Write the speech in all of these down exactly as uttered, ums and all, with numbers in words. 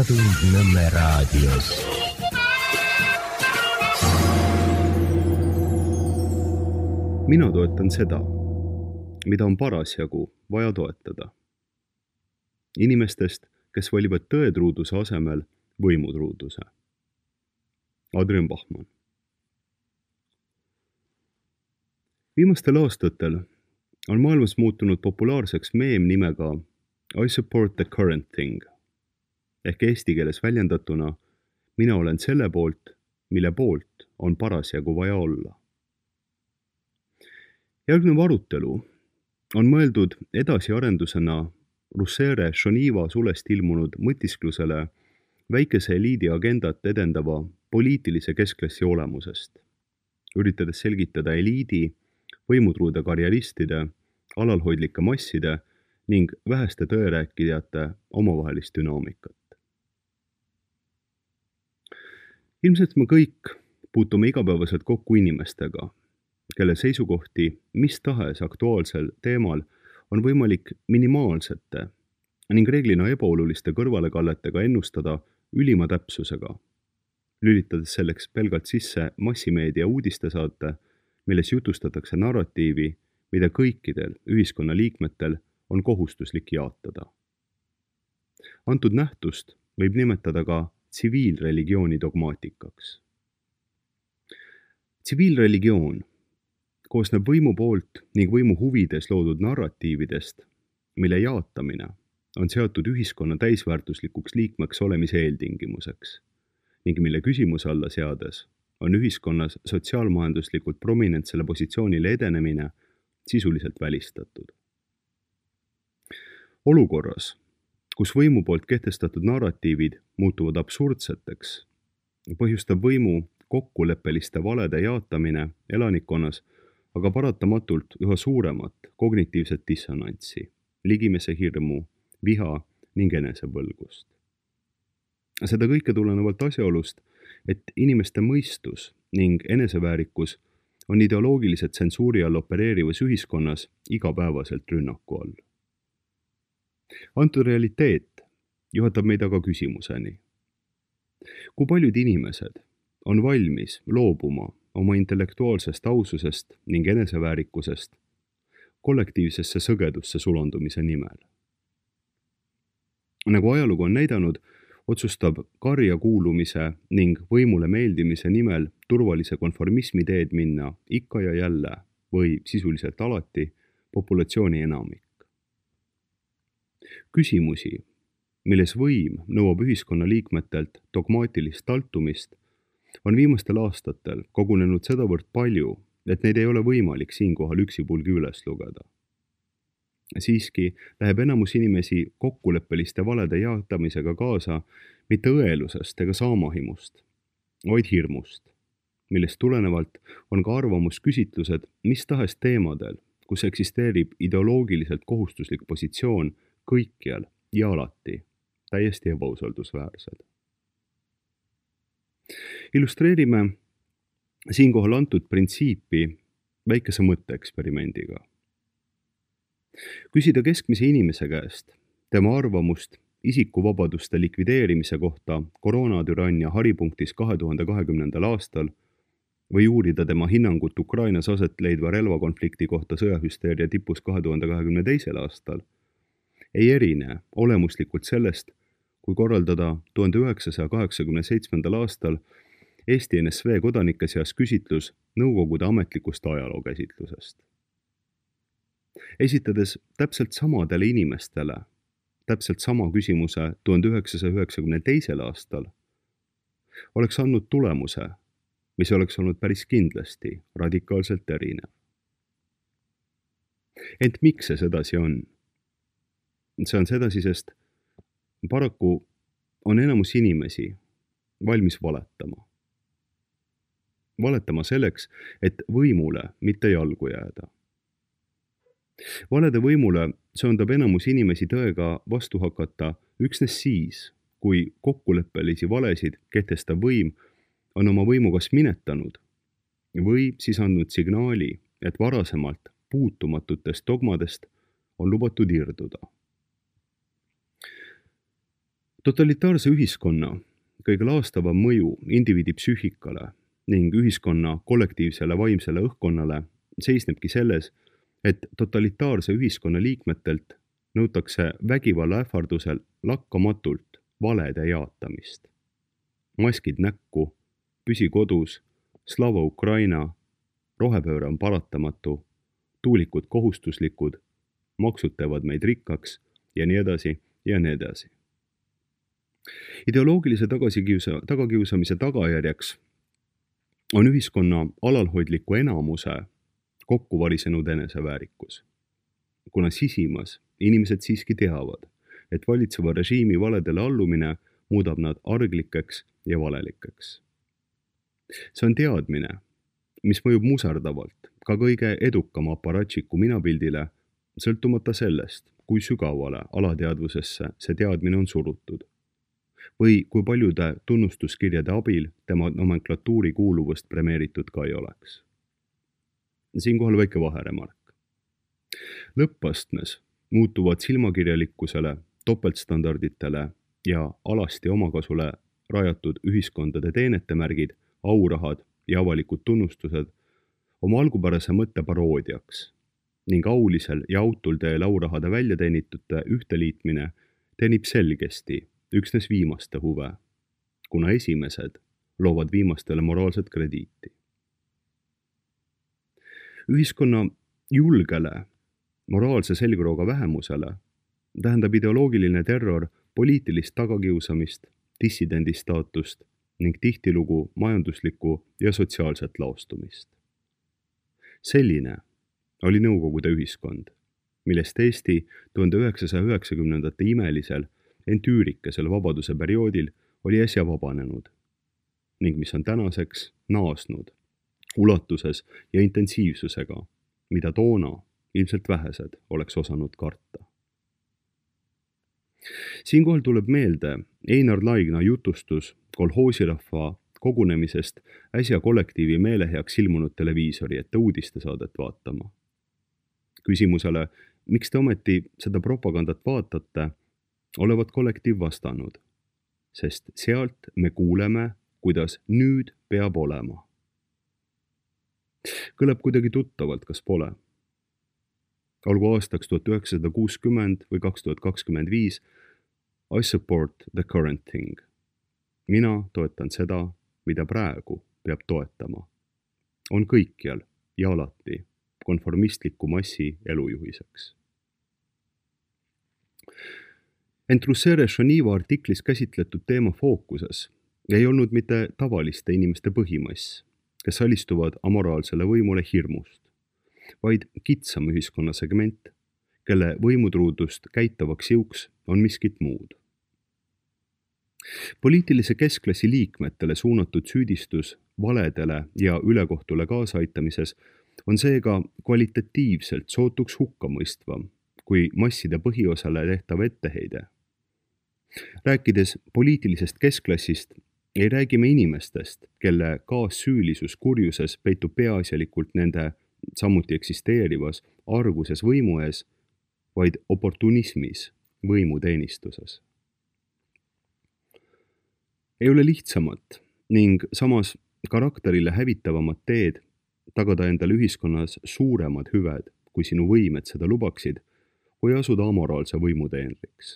Lisatund Nõmme raadios. Mina toetan seda, mida on parasjagu vaja toetada. Inimestest, kes valivad tõetruuduse asemel võimutruuduse. Adrian Bachmann. Viimastel aastatel on maailmas muutunud populaarseks meem nimega I support the current thing. Ehk eesti keeles väljendatuna, mina olen selle poolt, mille poolt on parasjagu vaja olla. Järgnev arutelu on mõeldud edasiarendusena Russere Shoniva sulest ilmunud mõtisklusele väikese eliidi agendat edendava poliitilise keskklassi olemusest, üritades selgitada eliidi, võimutruude karjeristide, alalhoidlike masside ning väheste tõerääkijate omavahelist dünaamikat. Ilmselt me kõik puutume igapäevaselt kokku inimestega, kelle seisukohti mis tahes aktuaalsel teemal on võimalik minimaalsete ning reeglina ebaoluliste kõrvalekalletega ennustada ülima täpsusega, lülitades selleks pelgalt sisse massimeedia uudistesaate, milles jutustatakse narratiivi, mida kõikidel ühiskonna liikmetel on kohustuslik jaatada. Antud nähtust võib nimetada ka tsiviilreligiooni dogmaatikaks. Tsiviilreligioon koosneb võimu poolt ning võimu huvides loodud narratiividest, mille jaatamine on seatud ühiskonna täisväärtuslikuks liikmeks olemise eeltingimuseks ning mille küsimuse alla seades on ühiskonnas sotsiaalmajanduslikult prominentsele positsioonile edenemine sisuliselt välistatud. Olukorras, kus võimu poolt kehtestatud narratiivid muutuvad absurdseteks, põhjustab võimu kokkuleppeliste valede jaatamine elanikkonnas aga paratamatult üha suuremat kognitiivset dissonantsi, ligimese hirmu, viha ning enesepõlgust. Seda kõike tulenevalt asjaolust, et inimeste mõistus ning eneseväärikus on ideoloogilise tsensuuri all opereerivas ühiskonnas igapäevaselt rünnaku all. Antud realiteet juhatab meid aga küsimuseni. Kui paljud inimesed on valmis loobuma oma intellektuaalsest aususest ning eneseväärikusest kollektiivsesse sõgedusse sulandumise nimel? Nagu ajalugu on näidanud, otsustab karja kuulumise ning võimule meeldimise nimel turvalise konformismi teed minna ikka ja jälle või sisuliselt alati populatsiooni enamik. Küsimusi, milles võim nõuab ühiskonna liikmetelt dogmaatilist taltumist, on viimastel aastatel kogunenud sedavõrd palju, et neid ei ole võimalik siinkohal üksipulgi üles lugeda. Siiski läheb enamus inimesi kokkuleppeliste valede jaatamisega kaasa mitte õelusest ega saamahimust, vaid hirmust, millest tulenevalt on ka arvamusküsitlused mis tahes teemadel, kus eksisteerib ideoloogiliselt kohustuslik positsioon kõikjal ja alati täiesti ebausaldusväärsed. Illustreerime siinkohal antud printsiipi väikese mõtteeksperimendiga. Küsida keskmise inimese käest tema arvamust isikuvabaduste likvideerimise kohta koroonatürannia haripunktis kahe tuhande kahekümnendal aastal või uurida tema hinnangut Ukrainas aset leidva relvakonflikti kohta sõjahüsteeria tipus kahe tuhande kahekümne teisel aastal, ei erine olemuslikult sellest, kui korraldada tuhande üheksasaja kaheksakümne seitsmendal aastal Eesti N S V kodanike seas küsitlus Nõukogude ametlikust ajalookäsitlusest. Esitades täpselt samadele inimestele täpselt sama küsimuse tuhande üheksasaja üheksakümne teisel aastal, oleks andnud tulemuse, mis oleks olnud päris kindlasti radikaalselt erinev. Ent miks see sedasi on? See on sedasi, sest paraku on enamus inimesi valmis valetama. Valetama selleks, et võimule mitte jalgu jääda. Valede võimule sööndab enamus inimesi tõega vastu hakata üksnes siis, kui kokkuleppelisi valesid kehtestav võim on oma võimu kas minetanud või siis andnud signaali, et varasemalt puutumatutest dogmadest on lubatud irduda. Totalitaarse ühiskonna kõige laastavam mõju indiviidi psüühikale ning ühiskonna kollektiivsele vaimsele õhkkonnale seisnebki selles, et totalitaarse ühiskonna liikmetelt nõutakse vägivalla ähvardusel lakkamatult valede jaatamist. Maskid näkku, püsi kodus, Slava Ukraina, rohepööre on paratamatu, tuulikud kohustuslikud, maksud teevad meid rikkaks ja nii edasi ja nii edasi. Ideoloogilise tagasikiusa, tagakiusamise tagajärjeks on ühiskonna alalhoidliku enamuse kokku varisenud eneseväärikus. Kuna sisimas inimesed siiski teavad, et valitseva režiimi valedele allumine muudab nad arglikeks ja valelikeks. See on teadmine, mis mõjub muserdavalt ka kõige edukama aparatšiku minapildile, sõltumata sellest, kui sügavale alateadvusesse see teadmine on surutud või kui paljude tunnustuskirjade abil tema nomenklatuuri kuuluvust premeeritud ka ei oleks. Siinkohal väike vaheremark. Lõppastmes muutuvad silmakirjalikkusele, topeltstandarditele ja alasti omakasule rajatud ühiskondade teenetemärgid, aurahad ja avalikud tunnustused oma algupärase mõtte paroodiaks ning aulisel ja autul teel aurahade väljateenitute ühteliitmine teenib selgesti üksnes viimaste huve, kuna esimesed loovad viimastele moraalset krediiti. Ühiskonna julgele, moraalse selgrooga vähemusele tähendab ideoloogiline terror poliitilist tagakiusamist, dissidendi staatust ning tihtilugu majanduslikku ja sotsiaalset laostumist. Selline oli Nõukogude ühiskond, millest Eesti tuhande üheksasaja üheksakümnendate imelisel, ent üürikesel vabaduse perioodil oli äsja vabanenud ning mis on tänaseks naasnud ulatuses ja intensiivsusega, mida toona ilmselt vähesed oleks osanud karta. Siinkohal tuleb meelde Einar Laigna jutustus kolhoosirahva kogunemisest äsja kollektiivi meeleheaks ilmunud televiisori ette uudistesaadet vaatama. Küsimusele, miks te ometi seda propagandat vaatate, olevat kollektiiv vastanud, sest sealt me kuuleme, kuidas nüüd peab olema. Kõlab kuidagi tuttavalt, kas pole? Olgu aastaks tuhat üheksasada kuuskümmend või kaks tuhat kakskümmend viis, I support the current thing. Mina toetan seda, mida praegu peab toetama. On kõikjal ja alati konformistliku massi elujuhiseks. Ent Russere Šoniva artiklis käsitletud teema fookuses ei olnud mitte tavaliste inimeste põhimass, kes alistuvad amoraalsele võimule hirmust, vaid kitsam ühiskonna segment, kelle võimutruudust käitavaks jõuks on miskit muud. Poliitilise keskklassi liikmetele suunatud süüdistus valedele ja ülekohtule kaasaitamises on seega kvalitatiivselt sootuks hukkamõistvam kui masside põhiosale tehtav etteheide. Rääkides poliitilisest keskklassist, ei räägi me inimestest, kelle kaassüülisus kurjuses peitub peaasjalikult nende samuti eksisteerivas arguses võimu ees, vaid oportunismis võimuteenistuses. Ei ole lihtsamat ning samas karakterile hävitavamat teed tagada endale ühiskonnas suuremad hüved, kui sinu võimed seda lubaksid, kui asuda amoraalse võimuteenriks.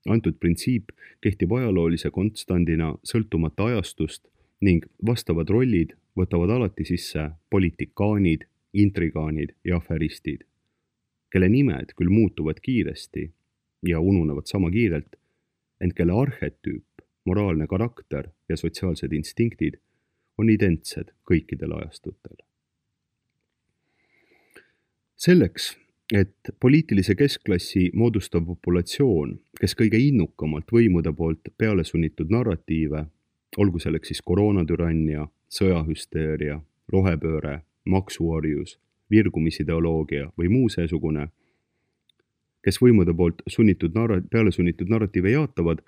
Antud printsiip kehtib ajaloolise konstandina sõltumata ajastust ning vastavad rollid võtavad alati sisse politikaanid, intrigaanid ja aferistid, kelle nimed küll muutuvad kiiresti ja ununevad sama kiirelt, ent kelle arhetüüp, moraalne karakter ja sotsiaalsed instinktid on identsed kõikidel ajastutel. Selleks, et poliitilise keskklassi moodustav populatsioon, kes kõige innukamalt võimude poolt peale sunnitud narratiive, olgu selleks siis koroonatürannia, sõjahüsteeria, rohepööre, maksuorjus, virgumisideoloogia või muu seesugune, kes võimude poolt sunnitud narra- peale sunnitud narratiive jaatavad,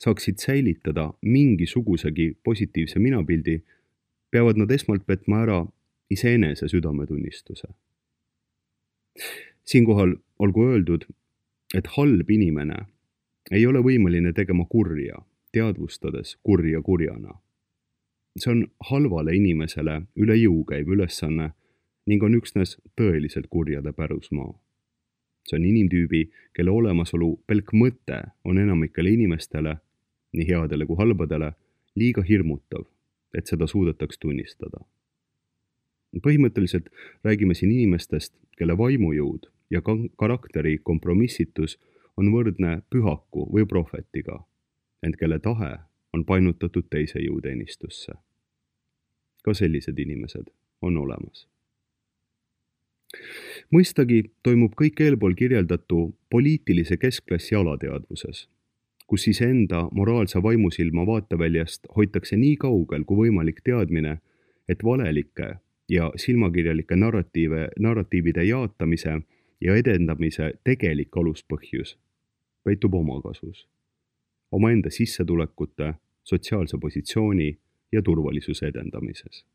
saaksid säilitada mingisugusegi positiivse minapildi, peavad nad esmalt petma ära iseenese südametunnistuse. Siinkohal olgu öeldud, et halb inimene ei ole võimeline tegema kurja, teadvustades kurja kurjana. See on halvale inimesele üle jõu käiv ülesanne ning on üksnes tõeliselt kurjade pärusmaa. See on inimtüübi, kelle olemasolu pelk mõte on enamikele inimestele, nii headele kui halbadele, liiga hirmutav, et seda suudetaks tunnistada. Põhimõtteliselt räägime siin inimestest, kelle vaimujõud ja karakteri kompromissitus on võrdne pühaku või prohvetiga, ent kelle tahe on painutatud teise jõuteenistusse. Ka sellised inimesed on olemas. Mõistagi toimub kõik eelpool kirjeldatu poliitilise keskklassi alateadvuses, kus iseenda moraalse vaimusilma vaateväljast hoitakse nii kaugel kui võimalik teadmine, et valelike ja silmakirjalike narratiive, narratiivide jaatamise ja edendamise tegelik aluspõhjus peitub omakasus, omaenda sissetulekute, sotsiaalse positsiooni ja turvalisuse edendamises.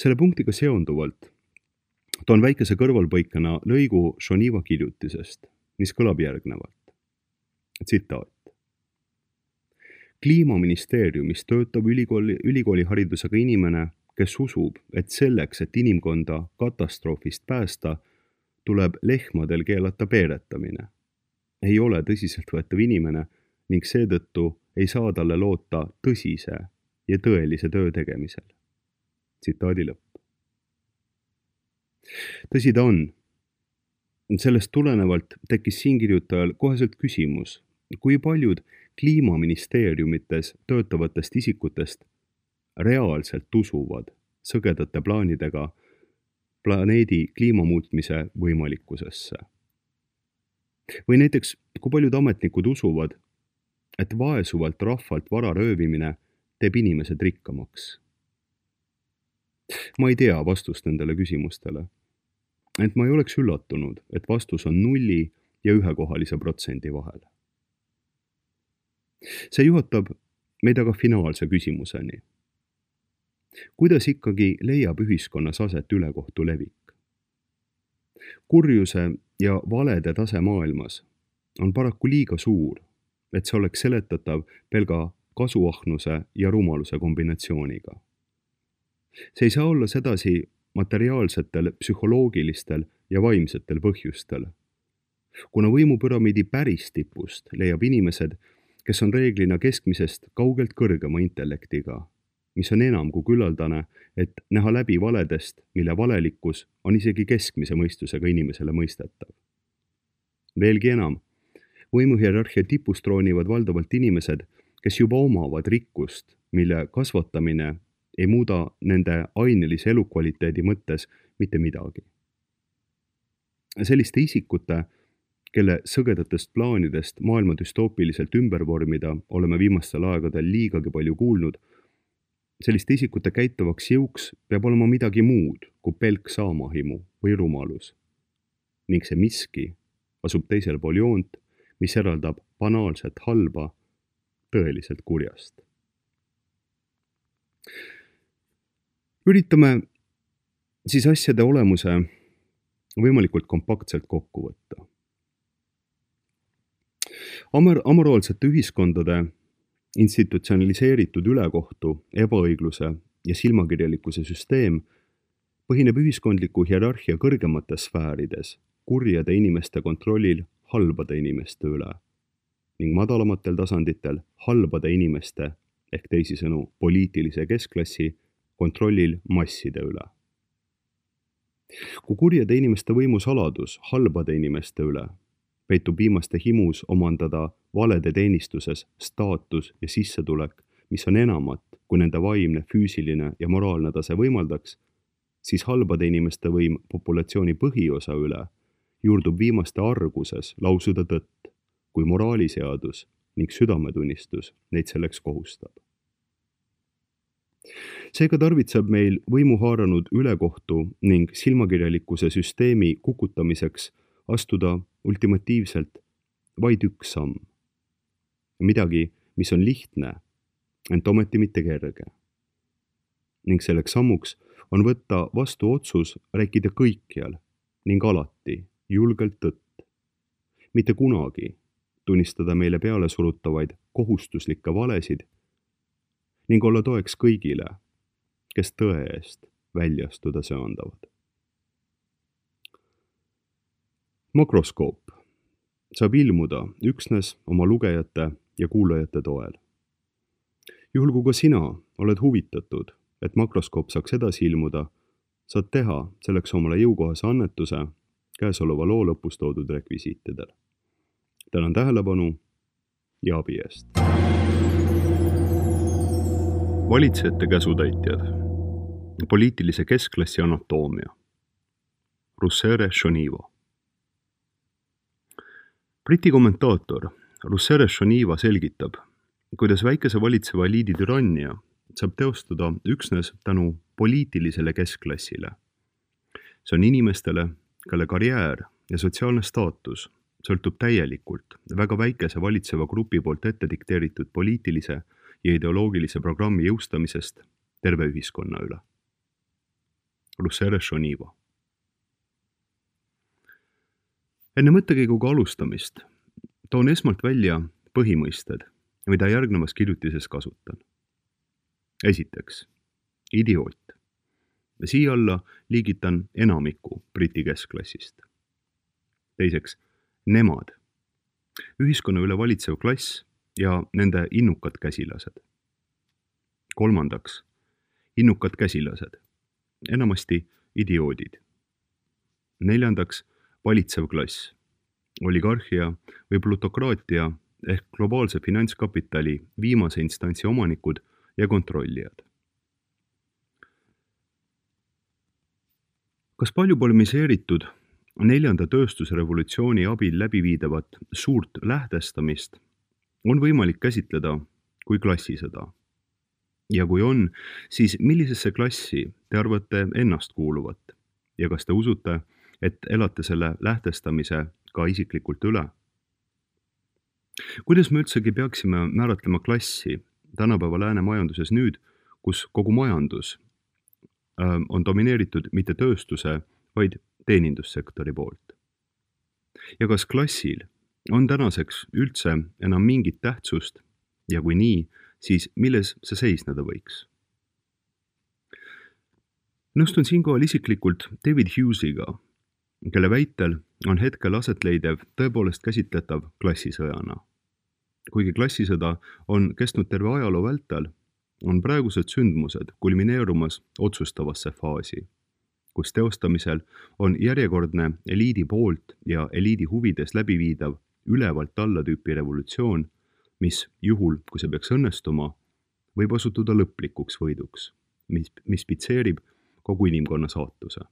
Selle punktiga seonduvalt toon väikese kõrvalpõikena lõigu Shoniva kirjutisest, mis kõlab järgnevalt. Tsitaat. Kliimaministeeriumis töötab ülikooli, ülikooliharidusega inimene, kes usub, et selleks, et inimkonda katastroofist päästa, tuleb lehmadel keelata peeretamine. Ei ole tõsiseltvõetav inimene ning seetõttu ei saa talle loota tõsise ja tõelise töö tegemisel. Tsitaadi lõpp. Tõsi ta on. Sellest tulenevalt tekkis siin kirjutajal koheselt küsimus, kui paljud kliimaministeeriumites töötavatest isikutest reaalselt usuvad sõgedate plaanidega planeedi kliimamuutmise võimalikkusesse. Või näiteks, kui paljud ametnikud usuvad, et vaesuvalt rahvalt vara röövimine teeb inimesed rikkamaks. Ma ei tea vastust nendele küsimustele, ent ma ei oleks üllatunud, et vastus on nulli ja ühekohalise protsendi vahel. See juhatab meid aga finaalse küsimuseni. Kuidas ikkagi leiab ühiskonnas aset ülekohtu levik? Kurjuse ja valede tase maailmas on paraku liiga suur, et see oleks seletatav pelga kasuahnuse ja rumaluse kombinatsiooniga. See ei saa olla sedasi materiaalsetel, psühholoogilistel ja vaimsetel põhjustel. Kuna võimupüramiidi päris tipust leiab inimesed, kes on reeglina keskmisest kaugelt kõrgema intellektiga, mis on enam kui küllaldane, et näha läbi valedest, mille valelikkus on isegi keskmise mõistusega inimesele mõistetav. Veelgi enam, võimuhierarhia tipust troonivad valdavalt inimesed, kes juba omavad rikkust, mille kasvatamine ei muuda nende ainelise elukvaliteedi mõttes mitte midagi. Selliste isikute, kelle sõgedatest plaanidest maailma düstoopiliselt ümber vormida oleme viimastel aegadel liigagi palju kuulnud, selliste isikute käitavaks jõuks peab olema midagi muud kui pelk saamahimu või rumalus. Ning see miski asub teisel pool joont, mis eraldab banaalset halba tõeliselt kurjast. Üritame siis asjade olemuse võimalikult kompaktselt kokku võtta. Amor- amoraalsete ühiskondade institutsionaliseeritud ülekohtu, ebaõigluse ja silmakirjalikkuse süsteem põhineb ühiskondliku hierarhia kõrgemates sfäärides kurjade inimeste kontrollil halbade inimeste üle ning madalamatel tasanditel halbade inimeste ehk teisisõnu poliitilise keskklassi kontrollil masside üle. Kui kurjade inimeste võimusaladus halbade inimeste üle peitub viimaste himus omandada valede teenistuses staatus ja sissetulek, mis on enamat, kui nende vaimne, füüsiline ja moraalne tase võimaldaks, siis halbade inimeste võim populatsiooni põhiosa üle juurdub viimaste arguses lausuda tõtt, kui moraaliseadus ning südametunnistus neid selleks kohustab. Seega tarvitseb meil võimu haaranud ülekohtu ning silmakirjalikkuse süsteemi kukutamiseks astuda ultimatiivselt vaid üks samm. Midagi, mis on lihtne, ent ometi mitte kerge. Ning selleks sammuks on võtta vastu otsus rääkida kõikjal ning alati julgelt tõtt. Mitte kunagi tunnistada meile peale surutavaid kohustuslikke valesid ning olla toeks kõigile, kes tõe eest välja astuda söandavad. Makroskoop saab ilmuda üksnes oma lugejate ja kuulajate toel. Juhul kui ka sina oled huvitatud, et makroskoop saaks edasi ilmuda, saad teha selleks omale jõukohase annetuse käesoleva loo lõpus toodud rekvisiitidel. Tänan tähelepanu ja abi eest. Valitsejate käsutäitjad. Poliitilise keskklassi anatoomia. Russere Shoniva. Briti kommentaator Russere Shoniva selgitab, kuidas väikese valitseva eliidi türannia saab teostada üksnes tänu poliitilisele keskklassile. See on inimestele, kelle karjäär ja sotsiaalne staatus sõltub täielikult väga väikese valitseva grupi poolt ette dikteeritud poliitilise ja ideoloogilise programmi jõustamisest terve ühiskonna üle. Russere Shoniva. Enne mõttekäiguga alustamist toon esmalt välja põhimõisted, mida järgnevas kirjutises kasutan. Esiteks, idioot. Siia alla liigitan enamiku Briti keskklassist. Teiseks, nemad. Ühiskonna üle valitsev klass ja nende innukad käsilased. Kolmandaks, innukad käsilased. Enamasti idioodid. Neljandaks, valitsev klass. Oligarhia või plutokraatia ehk globaalse finantskapitali viimase instantsi omanikud ja kontrollijad. Kas palju polemiseeritud neljanda tööstusrevolutsiooni abil läbiviidavat suurt lähtestamist on võimalik käsitleda kui klassisõda? Ja kui on, siis millisesse klassi te arvate ennast kuuluvat ja kas te usute, et elate selle lähtestamise ka isiklikult üle? Kuidas me üldsegi peaksime määratlema klassi tänapäeva lääne majanduses nüüd, kus kogu majandus on domineeritud mitte tööstuse, vaid teenindussektori poolt? Ja kas klassil on tänaseks üldse enam mingit tähtsust ja kui nii, siis milles see seisneda võiks? Nõustun siinkohal isiklikult David Hughesiga, kelle väitel on hetkel asetleidev tõepoolest käsitletav klassisõjana. Kuigi klassisõda on kestnud terve ajaloo vältel, on praegused sündmused kulmineerumas otsustavasse faasi, kus teostamisel on järjekordne eliidi poolt ja eliidi huvides läbiviidav ülevalt alla tüüpi revolutsioon, mis juhul, kui see peaks õnnestuma, võib osutuda lõplikuks võiduks, mis, mis pitseerib kogu inimkonna saatuse.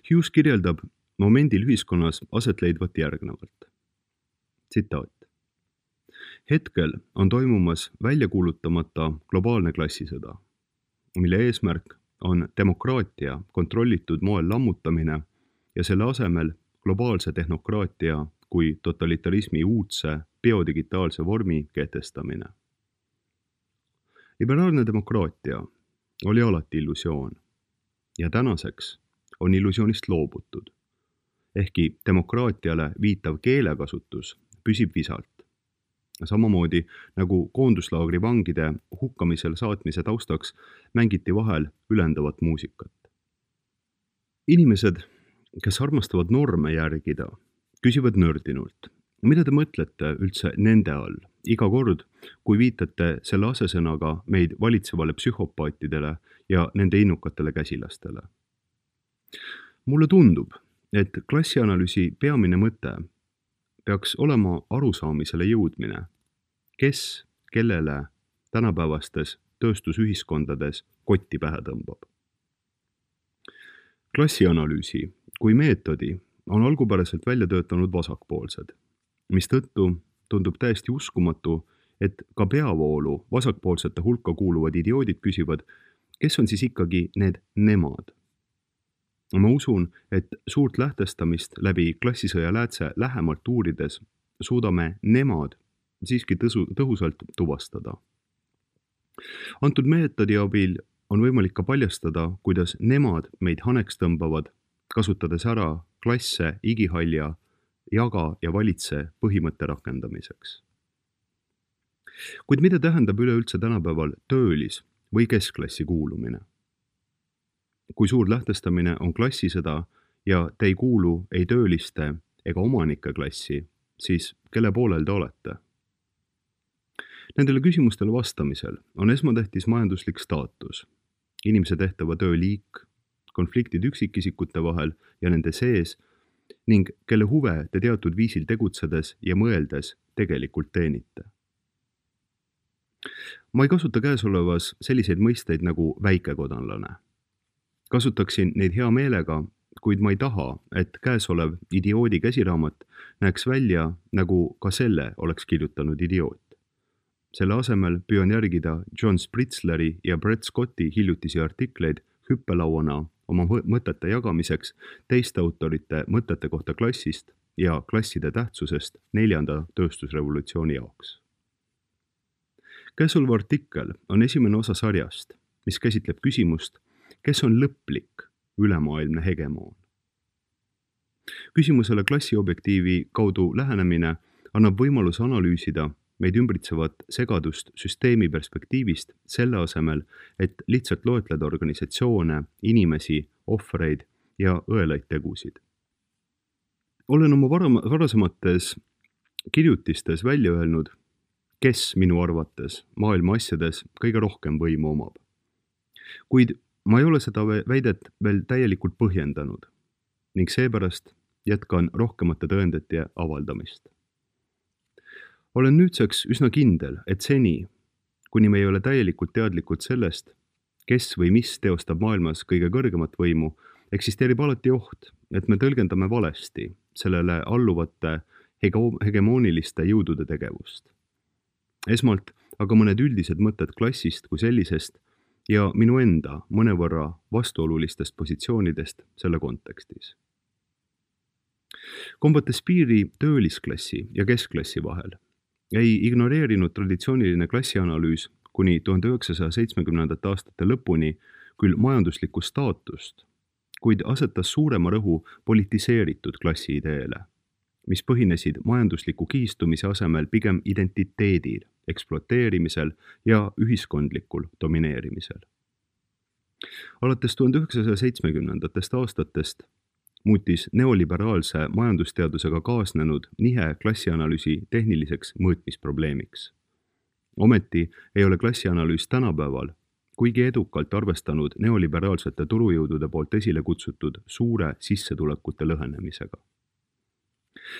Hughes kirjeldab momendil ühiskonnas asetleidvat järgnevalt. Tsitaat. Hetkel on toimumas välja kuulutamata globaalne klassisõda, mille eesmärk on demokraatia kontrollitud moel lammutamine ja selle asemel globaalse tehnokraatia kui totalitarismi uudse biodigitaalse vormi kehtestamine. Liberaalne demokraatia oli alati illusioon ja tänaseks on illusioonist loobutud, ehkki demokraatiale viitav keelekasutus püsib visalt. Samamoodi nagu koonduslaagri vangide hukkamisel saatmise taustaks mängiti vahel ülendavat muusikat. Inimesed, kes armastavad norme järgida, küsivad nördinult, mida te mõtlete üldse nende all iga kord, kui viitate selle asesõnaga meid valitsevale psühhopaatidele ja nende innukatele käsilastele. Mulle tundub, et klassianalüüsi peamine mõte peaks olema arusaamisele jõudmine, kes kellele tänapäevastes tööstusühiskondades kotti pähe tõmbab. Klassianalüüsi kui meetodi on algupäraselt välja töötanud vasakpoolsed, mistõttu tundub täiesti uskumatu, et ka peavoolu vasakpoolsete hulka kuuluvad idioodid küsivad, kes on siis ikkagi need nemad. Ma usun, et suurt lähtestamist läbi klassisõja läätse lähemalt uurides suudame nemad siiski tõsu, tõhusalt tuvastada. Antud meetodi abil on võimalik ka paljastada, kuidas nemad meid haneks tõmbavad, kasutades ära klasse igihalja jaga ja valitse põhimõtte rakendamiseks. Kuid mida tähendab üleüldse tänapäeval töölis- või keskklassi kuulumine? Kui suur lähtestamine on klassisõda ja te ei kuulu ei tööliste ega omanike klassi, siis kelle poolel te olete? Nendele küsimustele vastamisel on esmatähtis majanduslik staatus, inimese tehtava töö liik, konfliktid üksikisikute vahel ja nende sees ning kelle huve te teatud viisil tegutsedes ja mõeldes tegelikult teenite. Ma ei kasuta käesolevas selliseid mõisteid nagu väikekodanlane. Kasutaksin neid hea meelega, kuid ma ei taha, et käesolev idioodi käsiraamat näeks välja, nagu ka selle oleks kirjutanud idioot. Selle asemel püüan järgida John Spritzleri ja Brett Scotti hiljutisi artikleid hüppelauana oma mõtete jagamiseks teiste autorite mõtete kohta klassist ja klasside tähtsusest neljanda tööstusrevolutsiooni jaoks. Käesolev artikkel on esimene osa sarjast, mis käsitleb küsimust, kes on lõplik ülemaailmne hegemoon. Küsimusele klassiobjektiivi kaudu lähenemine annab võimaluse analüüsida meid ümbritsevat segadust süsteemi perspektiivist selle asemel, et lihtsalt loetleda organisatsioone, inimesi, ohvreid ja õelaid tegusid. Olen oma varasemates kirjutistes välja öelnud, kes minu arvates maailma asjades kõige rohkem võimu omab. Kuid ma ei ole seda väidet veel täielikult põhjendanud ning seepärast jätkan rohkemate tõendite avaldamist. Olen nüüdseks üsna kindel, et seni, kuni me ei ole täielikult teadlikud sellest, kes või mis teostab maailmas kõige kõrgemat võimu, eksisteerib alati oht, et me tõlgendame valesti sellele alluvate hegemooniliste jõudude tegevust. Esmalt aga mõned üldised mõtted klassist kui sellisest ja minu enda mõnevõrra vastuolulistest positsioonidest selle kontekstis. Kombates piiri töölisklassi ja keskklassi vahel ei ignoreerinud traditsiooniline klassianalüüs kuni tuhande üheksasaja seitsmekümnendate aastate lõpuni küll majanduslikku staatust, kuid asetas suurema rõhu politiseeritud klassi ideele, mis põhinesid majandusliku kihistumise asemel pigem identiteedil, ekspluateerimisel ja ühiskondlikul domineerimisel. Alates tuhande üheksasaja seitsmekümnendatest aastatest muutis neoliberaalse majandusteadusega kaasnenud nihe klassianalüüsi tehniliseks mõõtmisprobleemiks. Ometi ei ole klassianalüüs tänapäeval, kuigi edukalt arvestanud neoliberaalsete turujõudude poolt esile kutsutud suure sissetulekute lõhenemisega.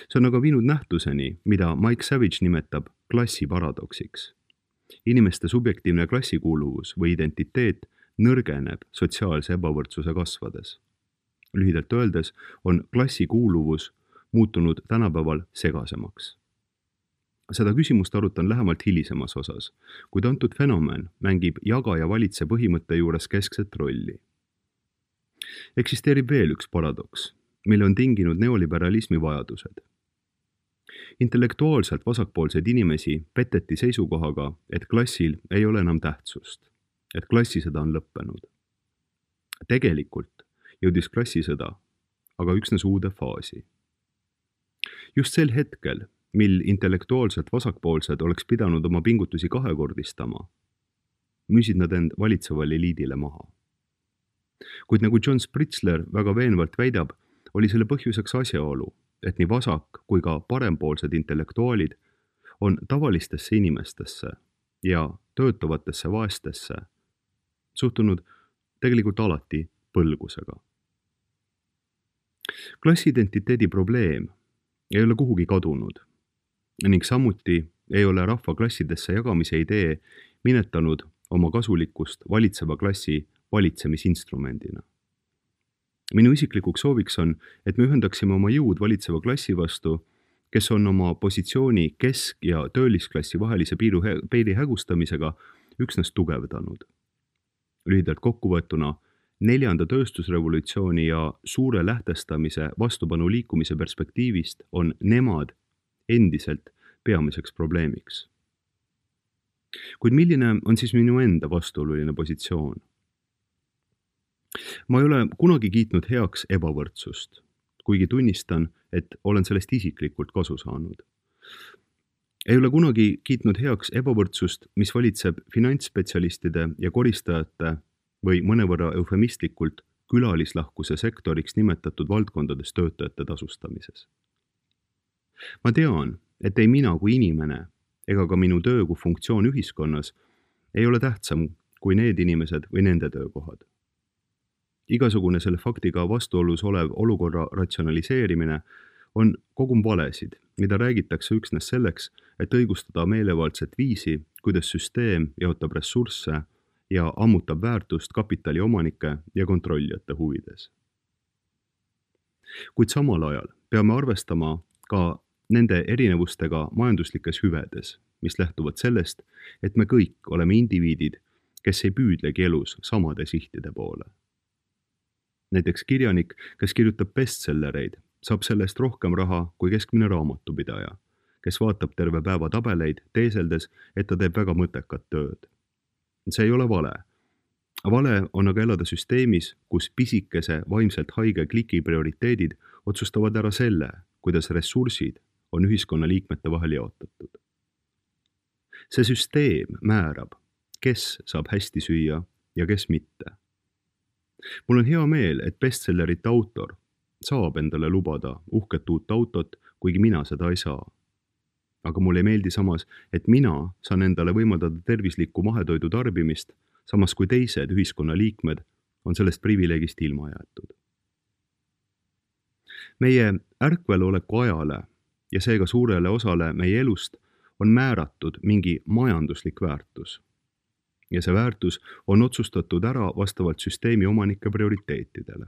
See on aga viinud nähtuseni, mida Mike Savage nimetab klassiparadoksiks. Inimeste subjektiivne klassikuuluvus või identiteet nõrgeneb sotsiaalse ebavõrdsuse kasvades. Lühidalt öeldes on klassikuuluvus muutunud tänapäeval segasemaks. Seda küsimust arutan lähemalt hilisemas osas, kuid antud fenomen mängib jaga ja valitse põhimõtte juures keskset rolli. Eksisteerib veel üks paradoks, mille on tinginud neoliberalismi vajadused. Intellektuaalselt vasakpoolseid inimesi peteti seisukohaga, et klassil ei ole enam tähtsust, et klassisõda on lõppenud. Tegelikult jõudis klassisõda aga üksnes uude faasi. Just sel hetkel, mil intellektuaalselt vasakpoolsed oleks pidanud oma pingutusi kahekordistama, müüsid nad end valitsevale eliidile maha. Kuid nagu John Spritzler väga veenvalt väidab, oli selle põhjuseks asjaolu, et nii vasak kui ka parempoolsed intellektuaalid on tavalistesse inimestesse ja töötavatesse vaestesse suhtunud tegelikult alati põlgusega. Klassiidentiteedi probleem ei ole kuhugi kadunud ning samuti ei ole rahva klassidesse jagamise idee minetanud oma kasulikkust valitseva klassi valitsemisinstrumendina. Minu isiklikuks sooviks on, et me ühendaksime oma jõud valitseva klassi vastu, kes on oma positsiooni kesk- ja töölisklassi vahelise piiru, peiri hägustamisega üksnes tugevdanud. Lühidalt kokkuvõetuna, neljanda tööstusrevolutsiooni ja suure lähtestamise vastupanu liikumise perspektiivist on nemad endiselt peamiseks probleemiks. Kuid milline on siis minu enda vastuoluline positsioon? Ma ei ole kunagi kiitnud heaks ebavõrdsust, kuigi tunnistan, et olen sellest isiklikult kasu saanud. Ei ole kunagi kiitnud heaks ebavõrdsust, mis valitseb finantsspetsialistide ja koristajate või mõnevõrra eufemistlikult külalislahkuse sektoriks nimetatud valdkondades töötajate tasustamises. Ma tean, et ei mina kui inimene ega ka minu töö kui funktsioon ühiskonnas ei ole tähtsam kui need inimesed või nende töökohad. Igasugune selle faktiga vastuolus olev olukorra ratsionaliseerimine on kogum valesid, mida räägitakse üksnes selleks, et õigustada meelevaldset viisi, kuidas süsteem jaotab ressursse ja ammutab väärtust kapitali omanike ja kontrollijate huvides. Kuid samal ajal peame arvestama ka nende erinevustega majanduslikes hüvedes, mis lähtuvad sellest, et me kõik oleme indiviidid, kes ei püüdlegi elus samade sihtide poole. Näiteks kirjanik, kes kirjutab bestsellereid, saab sellest rohkem raha kui keskmine raamatupidaja, kes vaatab terve päeva tabeleid, teeseldes, et ta teeb väga mõttekat tööd. See ei ole vale. Vale on aga elada süsteemis, kus pisikese vaimselt haige kliki prioriteedid otsustavad ära selle, kuidas ressursid on ühiskonna liikmete vahel jaotatud. See süsteem määrab, kes saab hästi süüa ja kes mitte. Mul on hea meel, et bestsellerite autor saab endale lubada uhket uut autot, kuigi mina seda ei saa. Aga mulle ei meeldi samas, et mina saan endale võimaldada tervislikku mahetoidu tarbimist, samas kui teised ühiskonna liikmed on sellest privileegist ilma jäetud. Meie ärkveloleku ajale ja seega suurele osale meie elust on määratud mingi majanduslik väärtus. Ja see väärtus on otsustatud ära vastavalt süsteemi omanike prioriteetidele.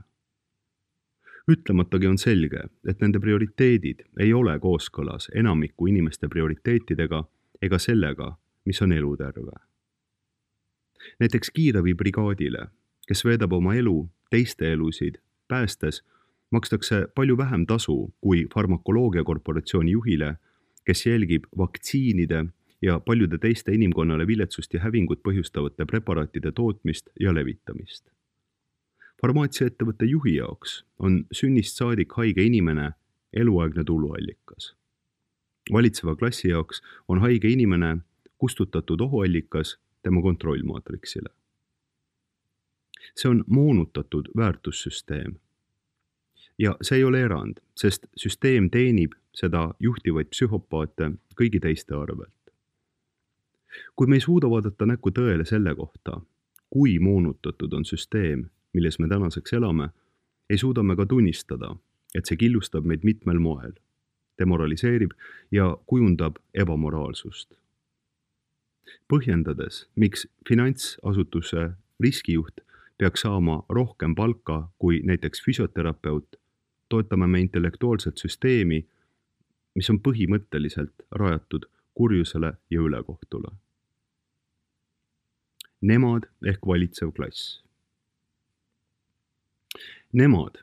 Ütlematagi on selge, et nende prioriteedid ei ole kooskõlas enamiku inimeste prioriteetidega ega sellega, mis on eluterve. Näiteks kiirabibrigaadile, kes veedab oma elu teiste elusid päästes, makstakse palju vähem tasu kui farmakoloogiakorporatsiooni juhile, kes jälgib vaktsiinide ja paljude teiste inimkonnale viletsust ja hävingut põhjustavate preparaatide tootmist ja levitamist. Farmaatsiaettevõtte juhi jaoks on sünnist saadik haige inimene eluaegne tuluallikas. Valitseva klassi jaoks on haige inimene kustutatud ohuallikas tema kontrollmaatriksile. See on moonutatud väärtussüsteem. Ja see ei ole erand, sest süsteem teenib seda juhtivaid psühhopaate kõigi teiste arvelt. Kui me ei suuda vaadata näkku tõele selle kohta, kui moonutatud on süsteem, milles me tänaseks elame, ei suuda me ka tunnistada, et see killustab meid mitmel moel, demoraliseerib ja kujundab ebamoraalsust. Põhjendades, miks finantsasutuse riskijuht peaks saama rohkem palka kui näiteks füsioterapeut, toetame me intellektuaalset süsteemi, mis on põhimõtteliselt rajatud kurjusele ja ülekohtule. Nemad ehk valitsev klass. Nemad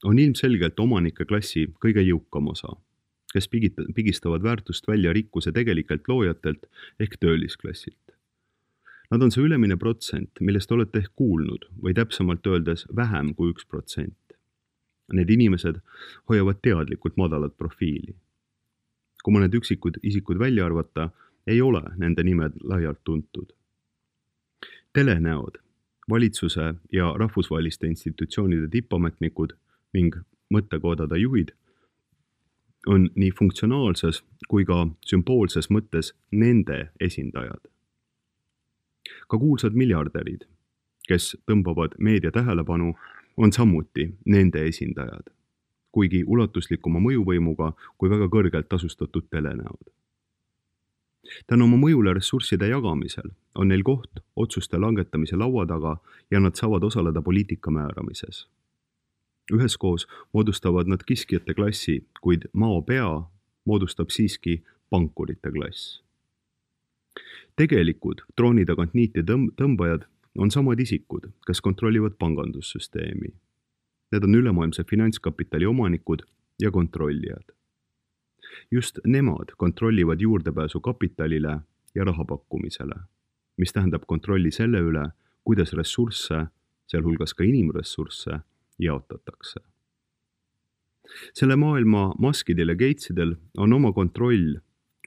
on ilmselgelt omanike klassi kõige jõukam osa, kes pigistavad väärtust välja rikkuse tegelikelt loojatelt ehk töölisklassilt. Nad on see ülemine protsent, millest olete ehk kuulnud või täpsemalt öeldes vähem kui üks protsent. Need inimesed hoiavad teadlikult madalat profiili. Kui mõned üksikud isikud välja arvata, ei ole nende nimed laialt tuntud. Telenäod, valitsuse ja rahvusvaheliste institutsioonide tippametnikud ning mõttekoodade juhid on nii funktsionaalses kui ka sümboolses mõttes nende esindajad. Ka kuulsad miljardärid, kes tõmbavad meedia tähelepanu, on samuti nende esindajad, kuigi ulatuslikuma mõjuvõimuga kui väga kõrgelt tasustatud telenäod. Tänu oma mõjule ressursside jagamisel on neil koht otsuste langetamise laua taga ja nad saavad osaleda poliitika määramises. Üheskoos moodustavad nad kiskjate klassi, kuid mao pea moodustab siiski pankurite klass. Tegelikud trooni tagant niiti tõmbajad on samad isikud, kes kontrollivad pangandussüsteemi. Need on ülemaailmse finantskapitali omanikud ja kontrollijad. Just nemad kontrollivad juurdepääsu kapitalile ja rahapakkumisele, mis tähendab kontrolli selle üle, kuidas ressursse, sealhulgas ka inimressursse, jaotatakse. selle maailma Muskidel ja Gatesidel on oma kontroll,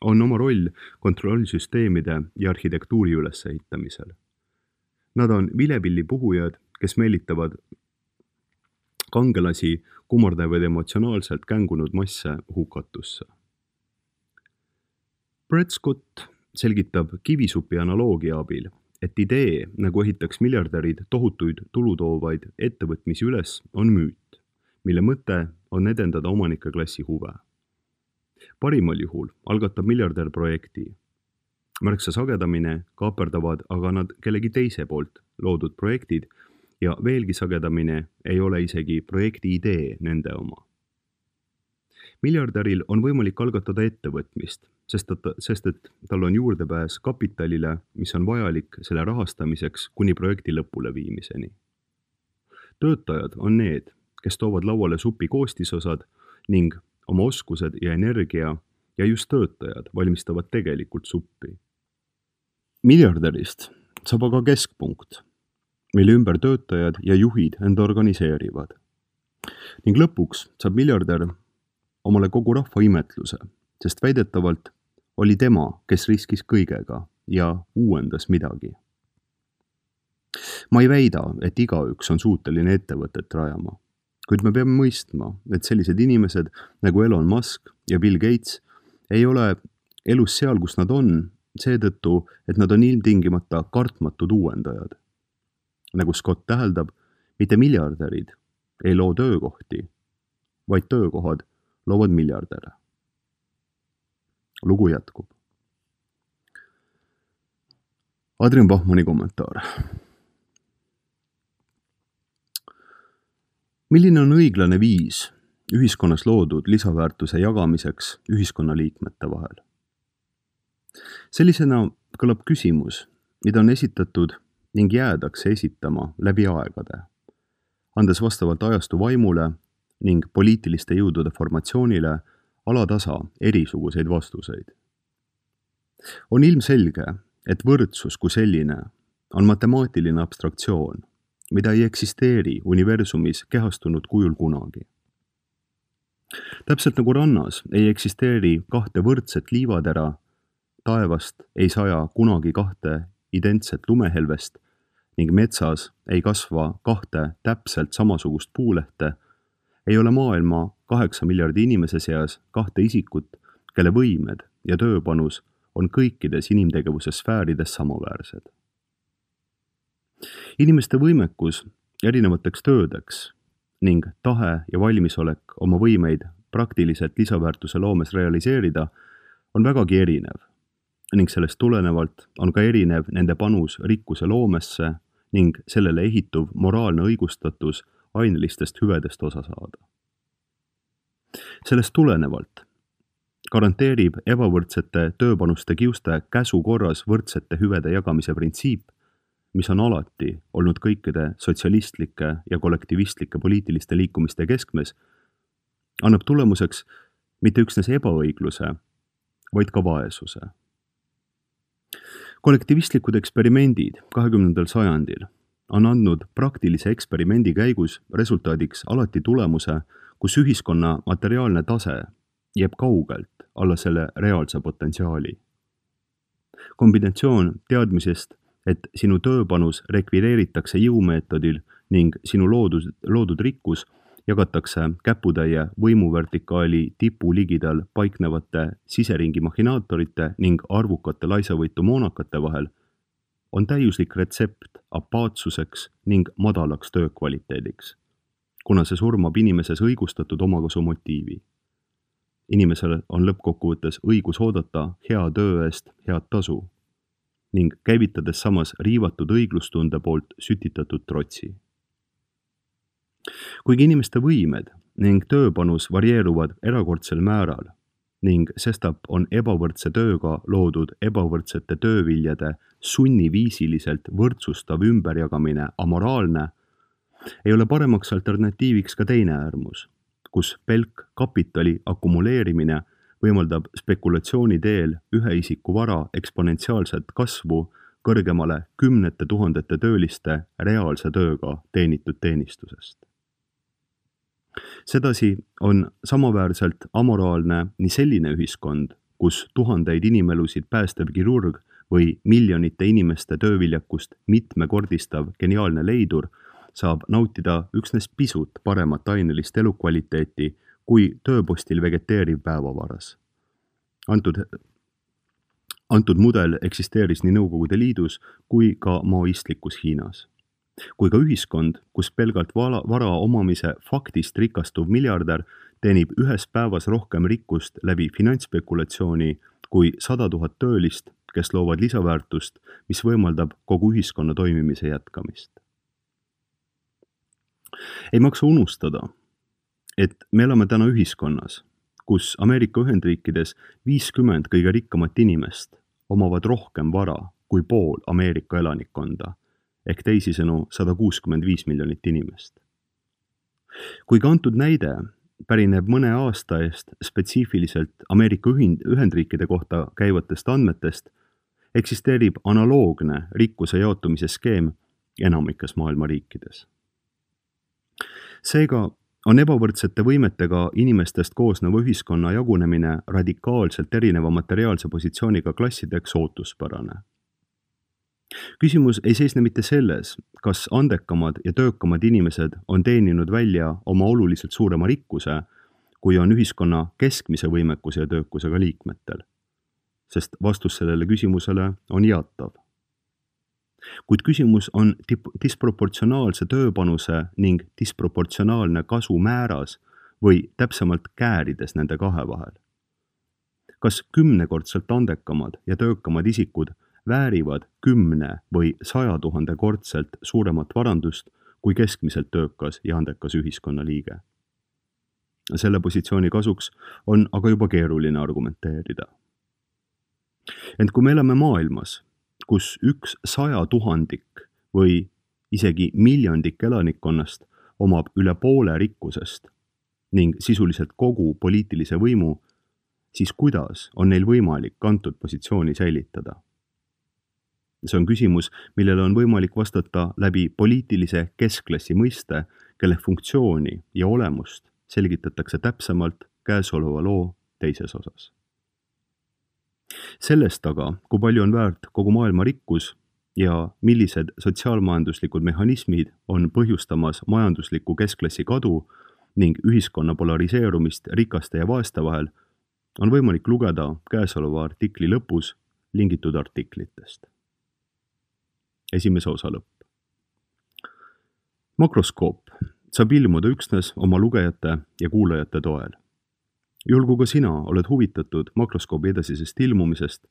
on oma roll kontrollsüsteemide ja arhitektuuri ülesehitamisel. Nad on vilepillipuhujad, kes meelitavad kangelasi kummardavad emotsionaalselt kängunud masse hukatusse. Brett Scott selgitab kivisupi analoogia abil, et idee, nagu ehitaks miljardärid tohutuid tulutoovaid ettevõtmisi üles, on müüt, mille mõte on edendada omanike klassi huve. Parimal juhul algatab miljardär projekti. Märksa sagedamine kaaperdavad aga nad kellegi teise poolt loodud projektid ja veelgi sagedamine ei ole isegi projekti idee nende oma. Miljardäril on võimalik algatada ettevõtmist, sest, et, sest et tal on juurdepääs kapitalile, mis on vajalik selle rahastamiseks kuni projekti lõpule viimiseni. Töötajad on need, kes toovad lauale supi koostisosad ning oma oskused ja energia ja just töötajad valmistavad tegelikult suppi. Miljardärist saab aga keskpunkt, mille ümber töötajad ja juhid enda organiseerivad. Ning lõpuks saab miljardär omale kogu rahva imetluse, sest väidetavalt oli tema, kes riskis kõigega ja uuendas midagi. Ma ei väida, et igaüks on suuteline ettevõtet rajama, kuid me peame mõistma, et sellised inimesed nagu Elon Musk ja Bill Gates ei ole elus seal, kus nad on, seetõttu, et nad on ilmtingimata kartmatud uuendajad. Nagu Scott täheldab, mitte miljardärid ei loo töökohti, vaid töökohad loovad miljardäre. Lugu jätkub. Adrian Bachmanni kommentaar. Milline on õiglane viis ühiskonnas loodud lisaväärtuse jagamiseks ühiskonnaliikmete vahel? Sellisena kõlab küsimus, mida on esitatud ning jäädakse esitama läbi aegade, andes vastavalt ajastu vaimule ning poliitiliste jõudude formatsioonile alatasa erisuguseid vastuseid. On ilmselge, et võrdsus kui selline on matemaatiline abstraktsioon, mida ei eksisteeri universumis kehastunud kujul kunagi. Täpselt nagu rannas ei eksisteeri kahte võrdset liivatera, taevast ei saja kunagi kahte identset lumehelvest ning metsas ei kasva kahte täpselt samasugust puulehte, ei ole maailma kaheksa miljardi inimese seas kahte isikut, kelle võimed ja tööpanus on kõikides inimtegevuse sfäärides samaväärsed. Inimeste võimekus erinevateks töödeks ning tahe ja valmisolek oma võimeid praktiliselt lisaväärtuse loomes realiseerida on vägagi erinev ning sellest tulenevalt on ka erinev nende panus rikkuse loomesse ning sellele ehituv moraalne õigustatus ainelistest hüvedest osa saada. Sellest tulenevalt garanteerib ebavõrdsete tööpanuste kiuste käsu korras võrdsete hüvede jagamise printsiip, mis on alati olnud kõikide sotsialistlike ja kollektivistlike poliitiliste liikumiste keskmes, annab tulemuseks mitte üksnes ebaõigluse, vaid ka vaesuse. Kollektivistlikud eksperimendid kahekümnendal sajandil on andnud praktilise eksperimendi käigus resultaadiks alati tulemuse, kus ühiskonna materiaalne tase jääb kaugelt alla selle reaalse potentsiaali. Kombinatsioon teadmisest, et sinu tööpanus rekvireeritakse jõumeetodil ning sinu loodud, loodud rikkus jagatakse käputäie võimuvertikaali tipu ligidal paiknevate siseringi mahinaatorite ning arvukate laisavõitu moonakate vahel, on täiuslik retsept apaatsuseks ning madalaks töökvaliteediks, kuna see surmab inimeses õigustatud omakasu motiivi. Inimesel on lõppkokkuvõttes õigus oodata hea töö eest head tasu ning käivitades samas riivatud õiglustunde poolt sütitatud trotsi. Kuigi inimeste võimed ning tööpanus varieeruvad erakordsel määral ning sestap on ebavõrdse tööga loodud ebavõrdsete tööviljade sunniviisiliselt võrdsustav ümberjagamine amoraalne, ei ole paremaks alternatiiviks ka teine äärmus, kus pelk kapitali akumuleerimine võimaldab spekulatsiooni teel ühe isiku vara eksponentsiaalset kasvu kõrgemale kümnete tuhandete tööliste reaalse tööga teenitud teenistusest. Sedasi on samaväärselt amoraalne nii selline ühiskond, kus tuhandeid inimelusid päästev kirurg või miljonite inimeste tööviljakust mitmekordistav geniaalne leidur saab nautida üksnes pisut paremat ainelist elukvaliteeti kui tööpostil vegeteeriv päevavaras. Antud, antud mudel eksisteeris nii Nõukogude Liidus kui ka maoistlikus Hiinas. Kui ka ühiskond, kus pelgalt vara, vara omamise faktist rikastuv miljardär teenib ühes päevas rohkem rikkust läbi finantsspekulatsiooni kui sada tuhat töölist, kes loovad lisaväärtust, mis võimaldab kogu ühiskonna toimimise jätkamist. Ei maksa unustada, et me elame täna ühiskonnas, kus Ameerika Ühendriikides viiskümmend kõige rikkamat inimest omavad rohkem vara kui pool Ameerika elanikkonda, ehk teisisõnu sada kuuskümmend viis miljonit inimest. Kui ka antud näide pärineb mõne aasta eest spetsiifiliselt Ameerika Ühendriikide kohta käivatest andmetest, eksisteerib analoogne rikkuse jaotumise skeem enamikes maailma riikides. Seega on ebavõrdsete võimetega inimestest koosneva ühiskonna jagunemine radikaalselt erineva materiaalse positsiooniga klassideks ootuspärane. Küsimus ei seisne mitte selles, kas andekamad ja töökamad inimesed on teeninud välja oma oluliselt suurema rikkuse, kui on ühiskonna keskmise võimekuse ja töökusega liikmetel, sest vastus sellele küsimusele on jaatav. Kuid küsimus on disproportsionaalse tööpanuse ning disproportsionaalne kasu määras või täpsemalt käärides nende kahe vahel. Kas kümnekordselt andekamad ja töökamad isikud väärivad kümne või saja tuhande kordselt suuremat varandust kui keskmiselt töökas ja andekas ühiskonnaliige? Selle positsiooni kasuks on aga juba keeruline argumenteerida. Ent kui me elame maailmas, kus üks saja tuhandik või isegi miljondik elanikkonnast omab üle poole rikkusest ning sisuliselt kogu poliitilise võimu, siis kuidas on neil võimalik antud positsiooni säilitada? See on küsimus, millele on võimalik vastata läbi poliitilise keskklassi mõiste, kelle funktsiooni ja olemust selgitatakse täpsemalt käesoleva loo teises osas. Sellest aga, kui palju on väärt kogu maailma rikkus ja millised sotsiaalmajanduslikud mehhanismid on põhjustamas majandusliku keskklassi kadu ning ühiskonna polariseerumist rikaste ja vaeste vahel, on võimalik lugeda käesoleva artikli lõpus lingitud artiklitest. Esimese osa lõpp. Makroskoop saab ilmuda üksnes oma lugejate ja kuulajate toel. Juhul kui ka sina oled huvitatud makroskoobi edasisest ilmumisest,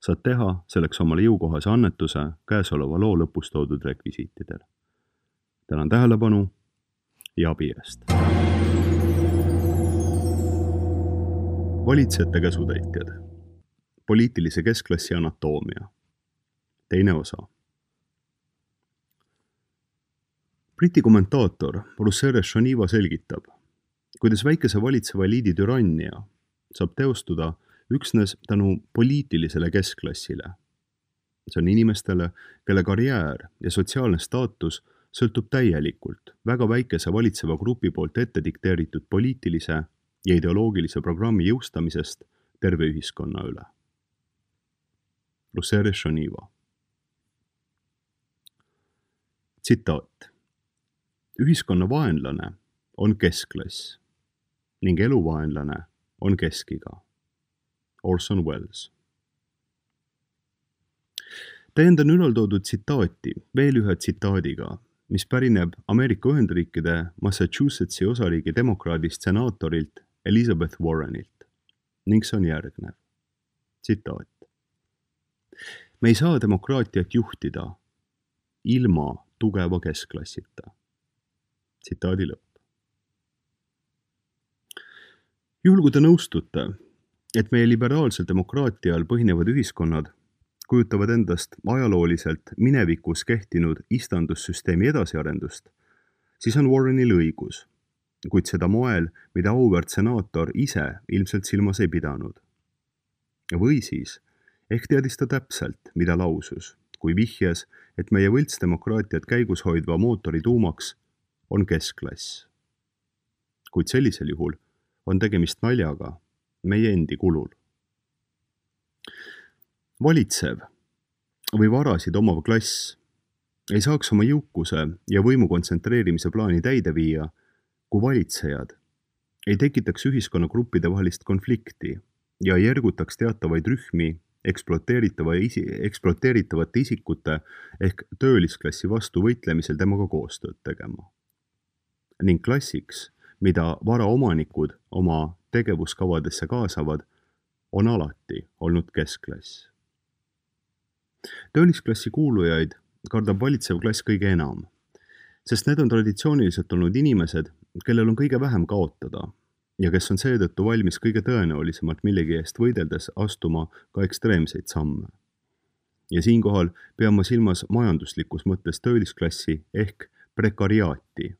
saad teha selleks omale jõukohase annetuse käesoleva loo lõpus toodud rekvisiitidel. Tänan tähelepanu ja abi eest. Valitsejate käsutäitjad. Poliitilise keskklassi anatoomia. Teine osa. Briti kommentaator Russere Shaniva selgitab, kuidas väikese valitseva eliidi türannia saab teostuda üksnes tänu poliitilisele keskklassile. See on inimestele, kelle karjäär ja sotsiaalne staatus sõltub täielikult väga väikese valitseva grupi poolt ette dikteeritud poliitilise ja ideoloogilise programmi jõustamisest terve ühiskonna üle. Russere Shaniva. Tsitaat. Ühiskonna vaenlane on keskklass ning eluvaenlane on keskiga. Orson Welles. Täiendan ülaltoodud tsitaati veel ühe tsitaadiga, mis pärineb Ameerika Ühendriikide Massachusettsi osariigi demokraadist senaatorilt Elizabeth Warrenilt ning see on järgnev. Tsitaat. Me ei saa demokraatiat juhtida ilma tugeva keskklassita. Tsitaadi lõpp. Juhul kui te nõustute, et meie liberaalsel demokraatial põhinevad ühiskonnad kujutavad endast ajalooliselt minevikus kehtinud istandussüsteemi edasiarendust, siis on Warrenil õigus, kuid seda moel, mida auväärt senaator ise ilmselt silmas ei pidanud. Või siis, ehk teadis ta täpselt, mida lausus, kui vihjas, et meie võltsdemokraatiat käigus hoidva mootori tuumaks on keskklass. kuid sellisel juhul on tegemist naljaga meie endi kulul. Valitsev või varasid omav klass ei saaks oma jõukuse ja võimu kontsentreerimise plaani täide viia, kui valitsejad ei tekitaks ühiskonnagruppide vahelist konflikti ja ei ergutaks teatavaid rühmi ekspluateeritava isi, ekspluateeritavate isikute ehk töölisklassi vastu võitlemisel temaga koostööd tegema. Ning klassiks, mida varaomanikud oma tegevuskavadesse kaasavad, on alati olnud keskklass. Töölisklassi kuulujaid kardab valitsev klass kõige enam, sest need on traditsiooniliselt olnud inimesed, kellel on kõige vähem kaotada ja kes on seetõttu valmis kõige tõenäolisemalt millegi eest võideldes astuma ka ekstreemseid samme. Ja siinkohal pean ma silmas majanduslikus mõttes töölisklassi ehk prekariaati,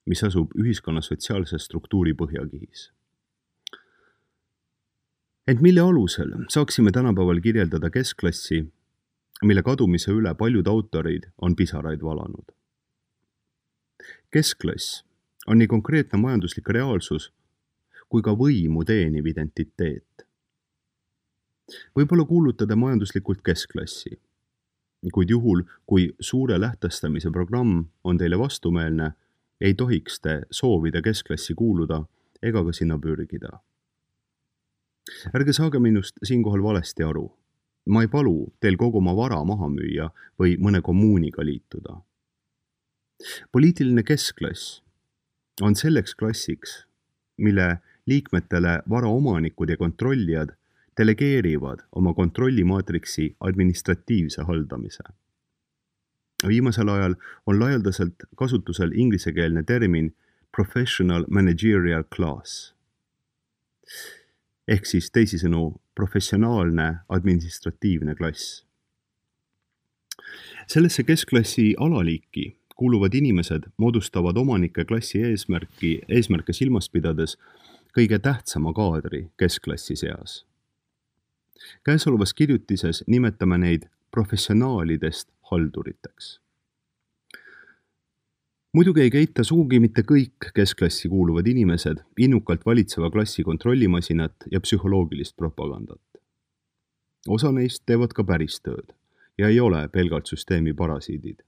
mis asub ühiskonna sotsiaalse struktuuri põhjakihis. Ent mille alusel saaksime tänapäeval kirjeldada keskklassi, mille kadumise üle paljud autorid on pisaraid valanud. Keskklass on nii konkreetne majanduslik reaalsus kui ka võimu teeniv identiteet. Võib-olla kuulutada majanduslikult keskklassi, kuid juhul, kui suure lähtestamise programm on teile vastumeelne, ei tohiks te soovida keskklassi kuuluda ega ka sinna pürgida. Ärge saage minust siinkohal valesti aru. Ma ei palu teil kogu oma vara maha müüa või mõne kommuuniga liituda. Poliitiline keskklass on selleks klassiks, mille liikmetele varaomanikud ja kontrollijad delegeerivad oma kontrollimaatriksi administratiivse haldamise. Viimasel ajal on laialdaselt kasutusel inglisekeelne termin professional managerial class, ehk siis teisisõnu professionaalne administratiivne klass. Sellesse keskklassi alaliiki kuuluvad inimesed moodustavad omanike klassi eesmärki, eesmärke silmas pidades kõige tähtsama kaadri keskklassi seas. Käesolevas kirjutises nimetame neid professionaalidest halduriteks. Muidugi ei keita sugugi mitte kõik keskklassi kuuluvad inimesed innukalt valitseva klassi kontrollimasinat ja psühholoogilist propagandat. Osa neist teevad ka päris tööd ja ei ole pelgalt süsteemi parasiidid.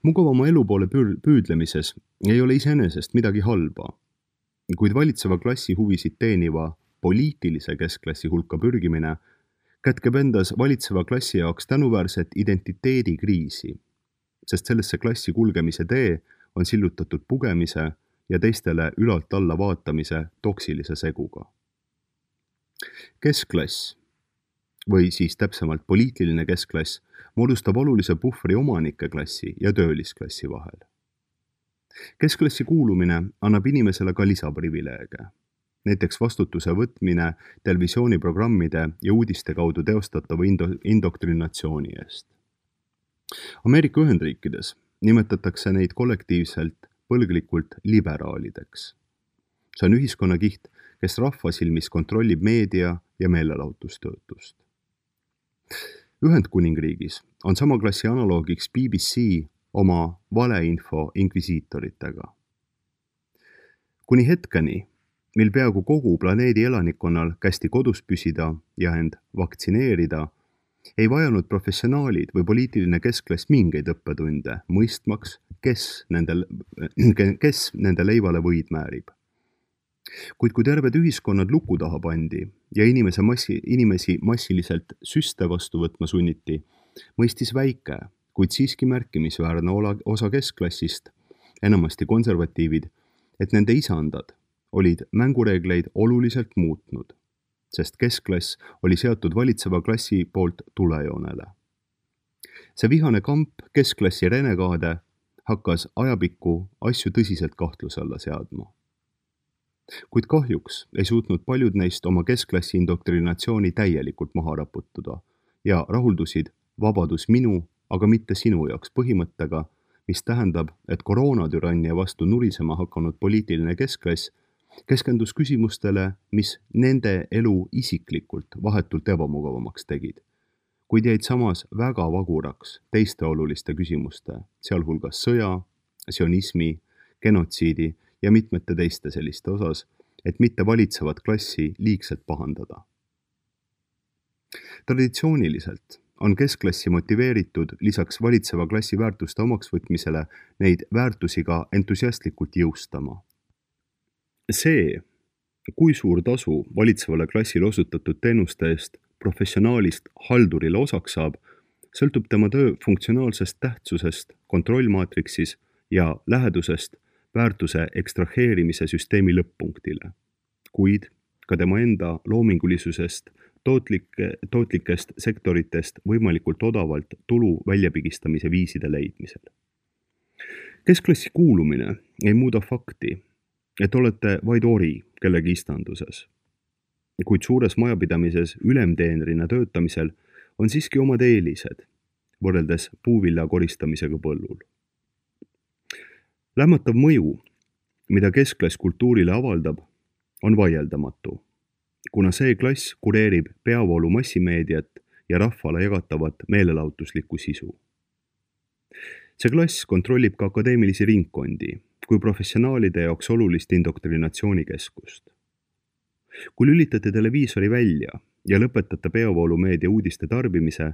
Mugavama elu poole püüdlemises ei ole iseenesest midagi halba, kuid valitseva klassi huvisid teeniva poliitilise keskklassi hulka pürgimine kätkeb endas valitseva klassi jaoks tänuväärset identiteedikriisi, sest sellesse klassi kulgemise tee on sillutatud pugemise ja teistele ülalt alla vaatamise toksilise seguga. Keskklass, või siis täpsemalt poliitiline keskklass, moodustab olulise puhvri omanike klassi ja töölisklassi vahel. Keskklassi kuulumine annab inimesele ka lisaprivileege, näiteks vastutuse võtmine televisiooniprogrammide ja uudiste kaudu teostatava indo- indoktrinatsiooni eest. Ameerika Ühendriikides nimetatakse neid kollektiivselt põlglikult liberaalideks. See on ühiskonnakiht, kes rahva silmis kontrollib meedia ja meelelahutustöötust. Ühendkuningriigis on sama klassi analoogiks B B C oma valeinfo inkvisiitoritega. Kuni hetkeni, mil peaaegu kogu planeedi elanikkonnal kästi kodus püsida ja end vaktsineerida, ei vajanud professionaalid või poliitiline keskklass mingeid õppetunde, mõistmaks, kes nende, kes nende leivale võid määrib. Kuid kui terved ühiskonnad luku taha pandi ja inimese massi, inimesi massiliselt süste vastu võtma sunniti, mõistis väike, kuid siiski märkimisväärne osa keskklassist, enamasti konservatiivid, et nende isandad olid mängureegleid oluliselt muutnud, sest keskklass oli seatud valitseva klassi poolt tulejoonele. See vihane kamp keskklassi renegaade hakkas ajapikku asju tõsiselt kahtluse alla seadma. Kuid kahjuks ei suutnud paljud neist oma keskklassi indoktrinatsiooni täielikult maha raputuda ja rahuldusid vabadus minu, aga mitte sinu jaoks põhimõttega, mis tähendab, et koroonatürannia vastu nurisema hakanud poliitiline keskklass keskendus küsimustele, mis nende elu isiklikult vahetult ebamugavamaks tegid, kuid jäid samas väga vaguraks teiste oluliste küsimuste, sealhulgas sõja, sionismi, genotsiidi ja mitmete teiste selliste osas, et mitte valitsevat klassi liigselt pahandada. Traditsiooniliselt on keskklassi motiveeritud lisaks valitseva klassi väärtuste omaksvõtmisele neid väärtusi ka entusiastlikult jõustama. See, kui suur tasu valitsevale klassile osutatud teenuste eest professionaalist haldurile osaks saab, sõltub tema töö funktsionaalsest tähtsusest kontrollmaatriksis ja lähedusest väärtuse ekstraheerimise süsteemi lõpp-punktile, kuid ka tema enda loomingulisusest tootlike, tootlikest sektoritest võimalikult odavalt tulu väljapigistamise viiside leidmisel. Keskklassi kuulumine ei muuda fakti, et olete vaid ori kellegi istanduses, kuid suures majapidamises ülemteenrina töötamisel on siiski omad eelised võrreldes puuvilla koristamisega põllul. Lämmatav mõju, mida keskklass kultuurile avaldab, on vaieldamatu, kuna see klass kureerib peavoolu massimeediat ja rahvale jagatavat meelelahutuslikku sisu. See klass kontrollib ka akadeemilisi ringkondi kui professionaalide jaoks olulist indoktrinatsioonikeskust. Kui lülitate televiisori välja ja lõpetate peavoolumeedia uudiste tarbimise,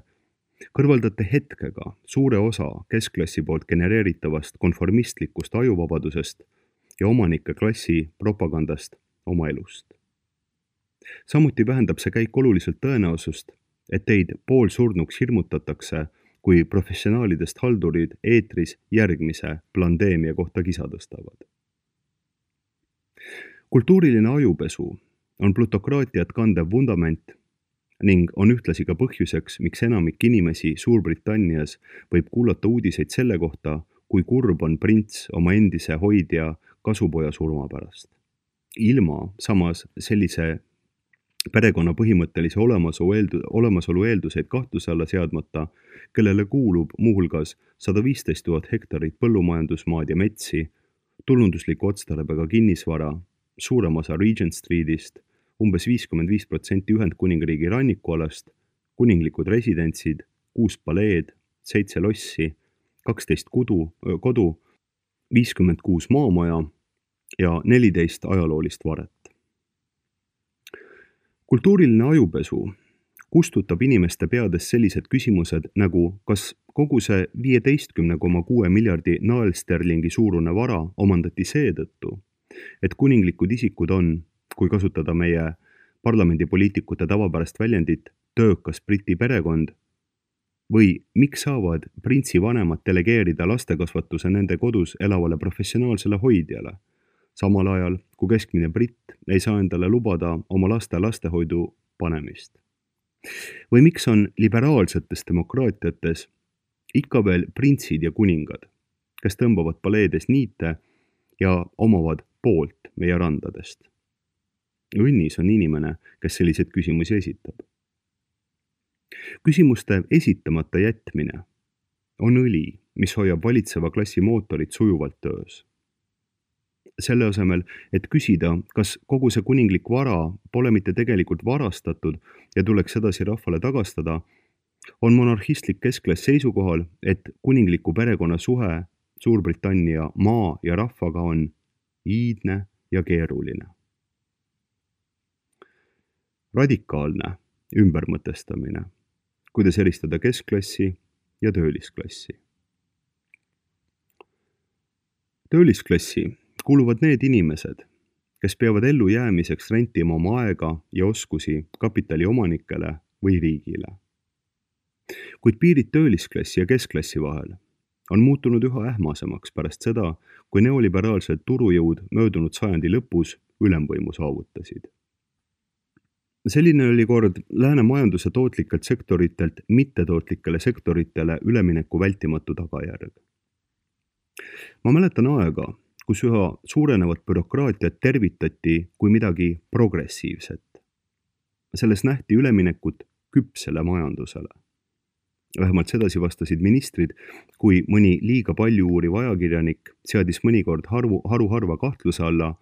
kõrvaldate hetkega suure osa keskklassi poolt genereeritavast konformistlikust ajuvabadusest ja omanike klassi propagandast oma elust. Samuti vähendab see käik oluliselt tõenäosust, et teid poolsurnuks hirmutatakse, kui professionaalidest haldurid eetris järgmise pandeemia kohta kisa tõstavad. Kultuuriline ajupesu on plutokraatiat kandev vundament ning on ühtlasi ka põhjuseks, miks enamik inimesi Suurbritannias võib kuulata uudiseid selle kohta, kui kurb on prints oma endise hoidja kasupoja surma pärast. Ilma samas sellise perekonna põhimõttelise olemasolu, eeldu, olemasolu eelduseid kahtluse alla seadmata, kellele kuulub muuhulgas sada viisteist tuhat hektarit põllumajandusmaad ja metsi, tulundusliku otstarbega kinnisvara, suurem osa Regent Streetist, umbes viiskümmend viis protsenti Ühendkuningriigi rannikualast, kuninglikud residentsid, kuus paleed, seitse lossi, kaksteist kudu, kodu, viiskümmend kuus maamaja ja neliteist ajaloolist varet. Kultuuriline ajupesu kustutab inimeste peades sellised küsimused nagu, kas kogu see viieteistkümne koma kuue miljardi naelsterlingi suurune vara omandati seetõttu, et kuninglikud isikud on, kui kasutada meie parlamendipoliitikute tavapärast väljendit, töökas briti perekond, või miks saavad printsi vanemad delegeerida lastekasvatuse nende kodus elavale professionaalsele hoidjale, samal ajal kui keskmine britt ei saa endale lubada oma laste lastehoidu panemist. Või miks on liberaalsetes demokraatiates ikka veel printsid ja kuningad, kes tõmbavad paleedes niite ja omavad poolt meie randadest. Õnnis on inimene, kes selliseid küsimusi esitab. Küsimuste esitamata jätmine on õli, mis hoiab valitseva klassi mootorit sujuvalt töös. Selle asemel, et küsida, kas kogu see kuninglik vara pole mitte tegelikult varastatud ja tuleks edasi rahvale tagastada, on monarhistlik keskklass seisukohal, et kuningliku perekonna suhe Suurbritannia maa ja rahvaga on iidne ja keeruline. Radikaalne ümbermõtestamine, kuidas eristada keskklassi ja töölisklassi. Töölisklassi kuuluvad need inimesed, kes peavad ellu jäämiseks rentima oma aega ja oskusi kapitali omanikele või riigile. Kuid piirid töölisklassi ja keskklassi vahel on muutunud üha ähmasemaks pärast seda, kui neoliberaalsed turujõud möödunud sajandi lõpus ülemvõimu saavutasid. Selline oli kord lääne majanduse tootlikelt sektoritelt mittetootlikele sektoritele ülemineku vältimatu tagajärg. Ma mäletan aega, kus üha suurenevat bürokraatiat tervitati kui midagi progressiivset. Selles nähti üleminekut küpsele majandusele. Vähemalt sedasi vastasid ministrid, kui mõni liiga palju uuriv ajakirjanik seadis mõnikord harvu, haruharva kahtluse alla,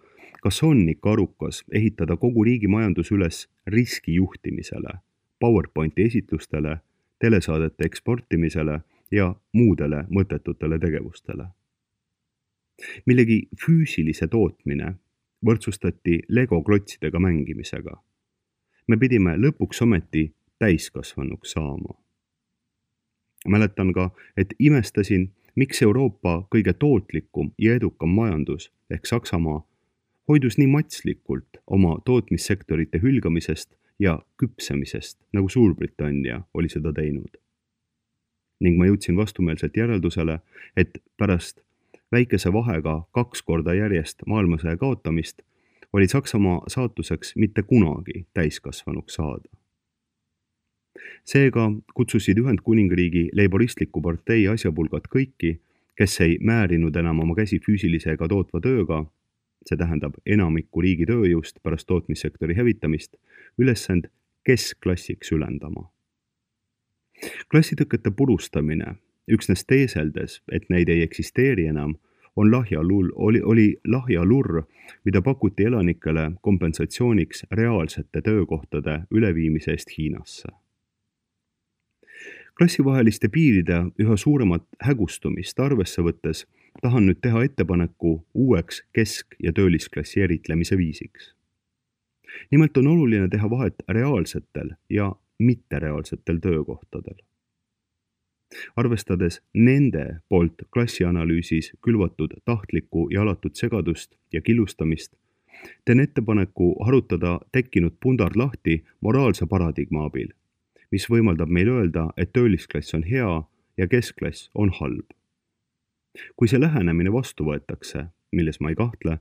kas on ikka arukas ehitada kogu riigi majandus üles riskijuhtimisele, PowerPointi esitlustele, telesaadete eksportimisele ja muudele mõttetutele tegevustele. millegi füüsilise tootmine võrdsustati Lego klotsidega mängimisega. Me pidime lõpuks ometi täiskasvanuks saama. Mäletan ka, et imestasin, miks Euroopa kõige tootlikum ja edukam majandus ehk Saksamaa hoidus nii matslikult oma tootmissektorite hülgamisest ja küpsemisest, nagu Suurbritannia oli seda teinud. Ning ma jõudsin vastumeelselt järeldusele, et pärast väikese vahega kaks korda järjest maailmasõja kaotamist oli Saksamaa saatuseks mitte kunagi täiskasvanuks saada. Seega kutsusid Ühendkuningriigi leiboristliku partei asjapulgad kõiki, kes ei määrinud enam oma käsi füüsilise ega tootva tööga, see tähendab enamikku riigi tööjõust pärast tootmissektori hävitamist, ülesand keskklassiks ülendama. Klassitõkete purustamine, üksnes teeseldes, et neid ei eksisteeri enam, on lahja lull, oli, oli lahja lurr, mida pakuti elanikele kompensatsiooniks reaalsete töökohtade üleviimise eest Hiinasse. Klassivaheliste piiride üha suuremat hägustumist arvesse võttes tahan nüüd teha ettepaneku uueks kesk- ja töölisklassi eritlemise viisiks. Nimelt on oluline teha vahet reaalsetel ja mittereaalsetel töökohtadel. Arvestades nende poolt klassianalüüsis külvatud tahtlikku ja alatut segadust ja killustamist, teen ettepaneku harutada tekkinud pundar lahti moraalse paradigma abil, mis võimaldab meil öelda, et töölisklass on hea ja keskklass on halb. Kui see lähenemine vastu võetakse, milles ma ei kahtle,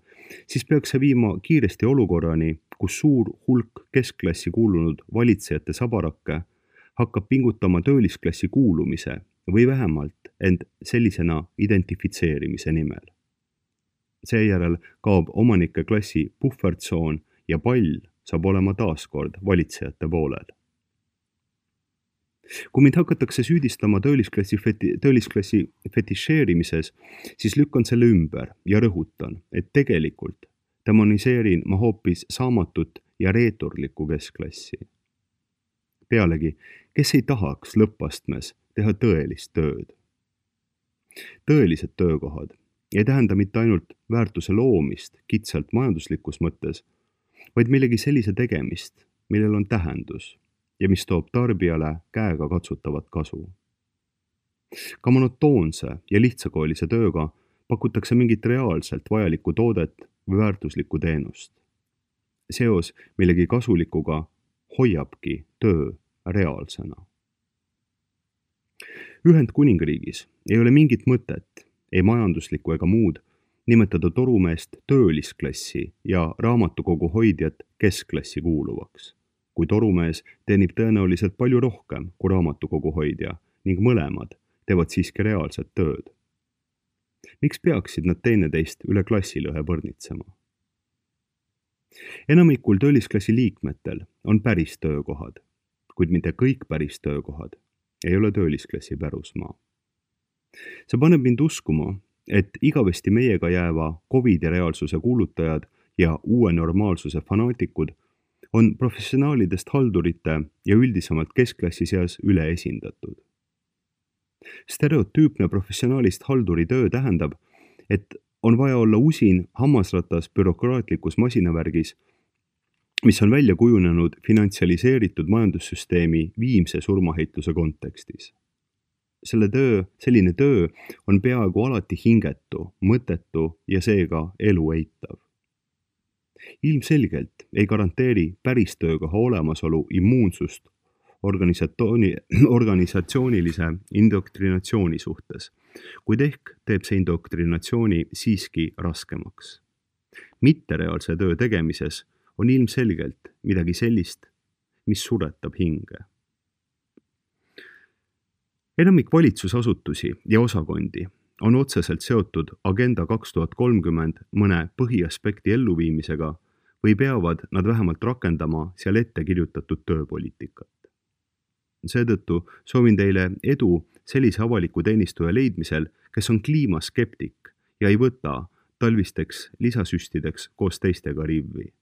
siis peaks see viima kiiresti olukorrani, kus suur hulk keskklassi kuulunud valitsejate sabarakke hakkab pingutama töölisklassi kuulumise või vähemalt end sellisena identifitseerimise nimel. Seejärel kaob omanike klassi puhvertsoon ja pall saab olema taaskord valitsejate poolel. Kui mind hakatakse süüdistama töölisklassi, feti, töölisklassi fetišeerimises, siis lükkan selle ümber ja rõhutan, et tegelikult demoniseerin ma hoopis saamatut ja reeturlikku keskklassi. Pealegi, kes ei tahaks lõppastmes teha tõelist tööd? Tõelised töökohad ei tähenda mitte ainult väärtuse loomist kitsalt majanduslikus mõttes, vaid millegi sellise tegemist, millel on tähendus ja mis toob tarbijale käega katsutavat kasu. Ka monotoonse ja lihtsakoolise tööga pakutakse mingit reaalselt vajalikku toodet või väärtuslikku teenust. Seos millegi kasulikuga hoiabki töö reaalsena. Ühendkuningriigis ei ole mingit mõtet, ei majanduslikku ega muud, nimetada torumeest töölisklassi ja raamatukogu hoidjat keskklassi kuuluvaks, kui torumees teenib tõenäoliselt palju rohkem kui raamatukogu hoidja ning mõlemad teevad siiski reaalset tööd. Miks peaksid nad teineteist üle klassilõhe põrnitsema? Enamikul töölisklassi liikmetel on päris töökohad, kuid mitte kõik päris töökohad ei ole töölisklassi pärusmaa. See paneb mind uskuma, et igavesti meiega jääva Covidi reaalsuse kuulutajad ja uue normaalsuse fanaatikud on professionaalidest haldurite ja üldisemalt keskklassi seas üleesindatud. Stereotüüpne professionaalist halduri töö tähendab, et on vaja olla usin hammasratas bürokraatlikus masinavärgis, mis on välja kujunenud finantsialiseeritud majandussüsteemi viimse surmaheitluse kontekstis. Selle töö, selline töö on peaaegu alati hingetu, mõttetu ja seega elu eitav. Ilmselgelt ei garanteeri päris töökoha olemasolu immuunsust organisatsioonilise indoktrinatsiooni suhtes, kuid ehk teeb see indoktrinatsiooni siiski raskemaks. Mittereaalse töö tegemises on ilmselgelt midagi sellist, mis suretab hinge. Enamik valitsusasutusi ja osakondi on otseselt seotud Agenda kaks tuhat kolmkümmend mõne põhiaspekti elluviimisega või peavad nad vähemalt rakendama seal ette kirjutatud tööpoliitikat. Seetõttu soovin teile edu sellise avaliku teenistuja leidmisel, kes on kliimaskeptik ja ei võta talvisteks lisasüstideks koos teistega rivvi.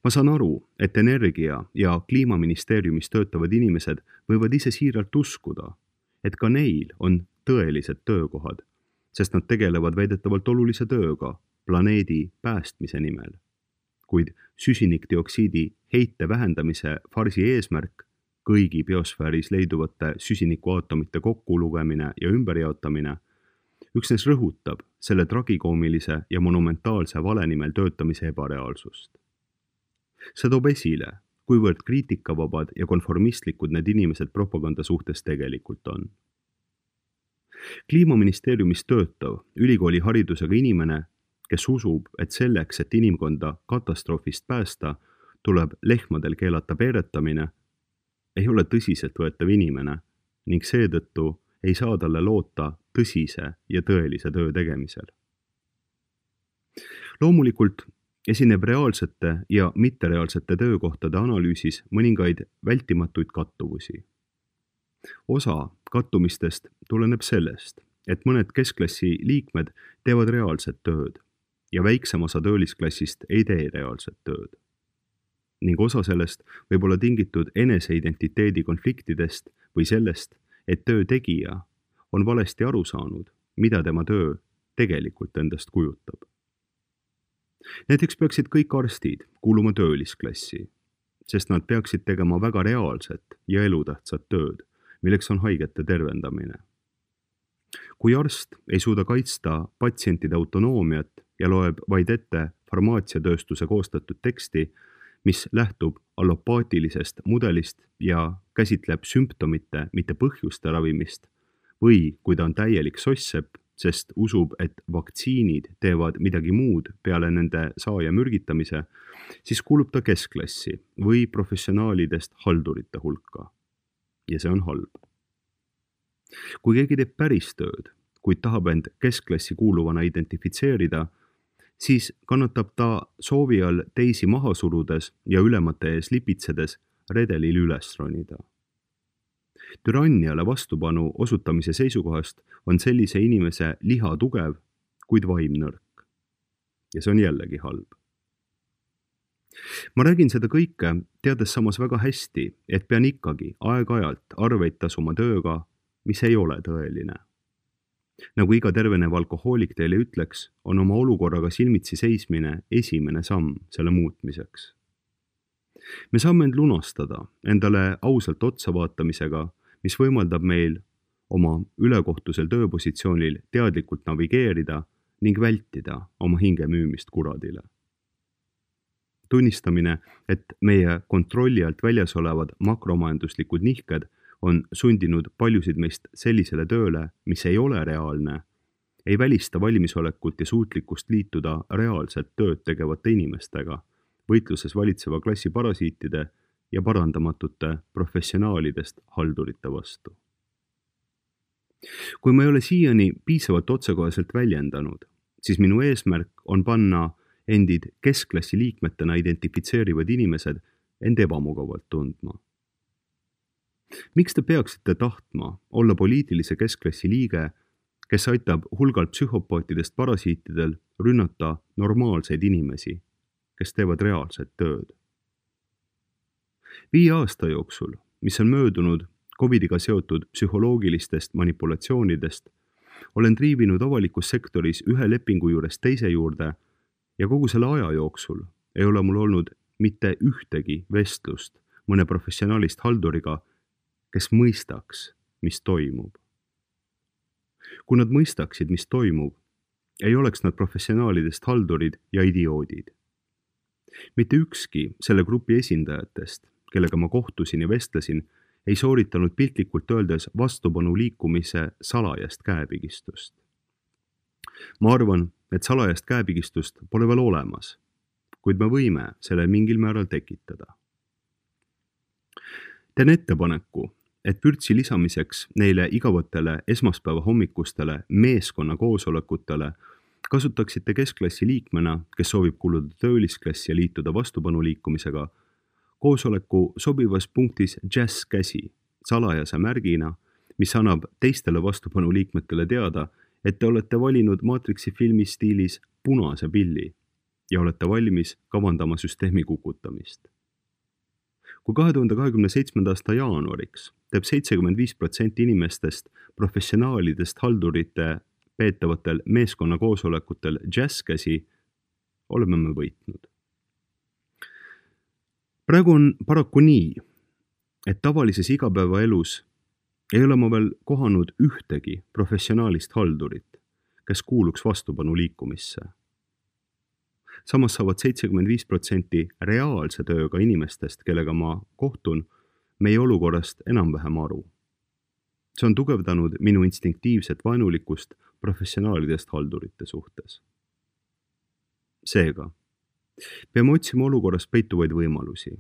Ma saan aru, et energia- ja kliimaministeeriumis töötavad inimesed võivad ise siiralt uskuda, et ka neil on tõelised töökohad, sest nad tegelevad väidetavalt olulise tööga planeedi päästmise nimel. Kuid süsinikdioksiidi heite vähendamise farsi eesmärk, kõigi biosfääris leiduvate süsinikuaatomite kokkulugemine ja ümberjaotamine, üksnes rõhutab selle tragikoomilise ja monumentaalse vale nimel töötamise ebareaalsust. See toob esile, kuivõrd kriitikavabad ja konformistlikud need inimesed propaganda suhtes tegelikult on. Kliimaministeeriumis töötav ülikooli haridusega inimene, kes usub, et selleks, et inimkonda katastroofist päästa, tuleb lehmadel keelata peeretamine, ei ole tõsiselt võetav inimene ning seetõttu ei saa talle loota tõsise ja tõelise töö tegemisel. Loomulikult esineb reaalsete ja mittereaalsete töökohtade analüüsis mõningaid vältimatuid kattuvusi. Osa kattumistest tuleneb sellest, et mõned keskklassi liikmed teevad reaalset tööd ja väiksem osa töölisklassist ei tee reaalset tööd. Ning osa sellest võib olla tingitud eneseidentiteedi konfliktidest või sellest, et töö tegija on valesti aru saanud, mida tema töö tegelikult endast kujutab. Näiteks peaksid kõik arstid kuuluma töölisklassi, sest nad peaksid tegema väga reaalset ja elutähtsat tööd, milleks on haigete tervendamine. Kui arst ei suuda kaitsta patsientide autonoomiat ja loeb vaid ette farmaatsiatööstuse koostatud teksti, mis lähtub allopaatilisest mudelist ja käsitleb sümptomite, mitte põhjuste ravimist, või kui ta on täielik sosssepp, sest usub, et vaktsiinid teevad midagi muud peale nende saaja mürgitamise, siis kuulub ta keskklassi või professionaalidest haldurite hulka. Ja see on halb. Kui keegi teeb päris tööd, kuid tahab end keskklassi kuuluvana identifitseerida, siis kannatab ta soovi all teisi maha surudes ja ülemate ees lipitsedes redelil üles ronida. Türanniale vastupanu osutamise seisukohast on sellise inimese liha tugev, kuid vaim nõrk. Ja see on jällegi halb. Ma räägin seda kõike, teades samas väga hästi, et pean ikkagi aeg-ajalt arveid tasuma tööga, mis ei ole tõeline. Nagu iga tervenev alkohoolik teile ütleks, on oma olukorraga silmitsi seismine esimene samm selle muutmiseks. Me saame end lunastada endale ausalt otsa vaatamisega, mis võimaldab meil oma ülekohtusel tööpositsioonil teadlikult navigeerida ning vältida oma hinge müümist kuradile. Tunnistamine, et meie kontrolli alt väljas olevad makromajanduslikud nihked on sundinud paljusid meist sellisele tööle, mis ei ole reaalne, ei välista valmisolekut ja suutlikkust liituda reaalset tööd tegevate inimestega, võitluses valitseva klassi parasiitide ja parandamatute professionaalidest haldurite vastu. Kui ma ei ole siiani piisavalt otsekoheselt väljendanud, siis minu eesmärk on panna endid keskklassi liikmetena identifitseerivad inimesed end ebamugavalt tundma. Miks te peaksite tahtma olla poliitilise keskklassi liige, kes aitab hulgalt psühhopaatidest parasiitidel rünnata normaalseid inimesi, kes teevad reaalset tööd? Viie aasta jooksul, mis on möödunud covidiga seotud psühholoogilistest manipulatsioonidest, olen triivinud avalikus sektoris ühe lepingu juures teise juurde ja kogu selle aja jooksul ei ole mul olnud mitte ühtegi vestlust mõne professionaalist halduriga, kes mõistaks, mis toimub. Kui nad mõistaksid, mis toimub, ei oleks nad professionaalidest haldurid ja idioodid. Mitte ükski selle grupi esindajatest, kellega ma kohtusin ja vestlesin, ei sooritanud piltlikult öeldes vastupanu liikumise salajast käepigistust. Ma arvan, et salajast käepigistust pole veel olemas, kuid me võime selle mingil määral tekitada. Teen ettepaneku, et pürtsi lisamiseks neile igavatele esmaspäeva hommikustele meeskonna koosolekutele kasutaksite keskklassi liikmena, kes soovib kuuluda töölisklassi ja liituda vastupanu liikumisega, koosoleku sobivas punktis jazz käsi salajase märgina, mis annab teistele vastupanu liikmetele teada, et te olete valinud Matrixi filmi stiilis punase pilli ja olete valmis kavandama süsteemi kukutamist. Kui kahe tuhande kahekümne seitsmenda aasta jaanuariks teeb seitsekümmend viis protsenti inimestest professionaalidest haldurite peetavatel meeskonna koosolekutel džässkäsi, oleme me võitnud. Praegu on paraku nii, et tavalises igapäevaelus ei ole ma veel kohanud ühtegi professionaalist haldurit, kes kuuluks vastupanu liikumisse. Samas saavad seitsekümmend viis protsenti reaalse tööga inimestest, kellega ma kohtun, meie olukorrast enam-vähem aru. See on tugevdanud minu instinktiivset vaenulikkust professionaalidest haldurite suhtes. Seega, peame otsima olukorras peituvaid võimalusi.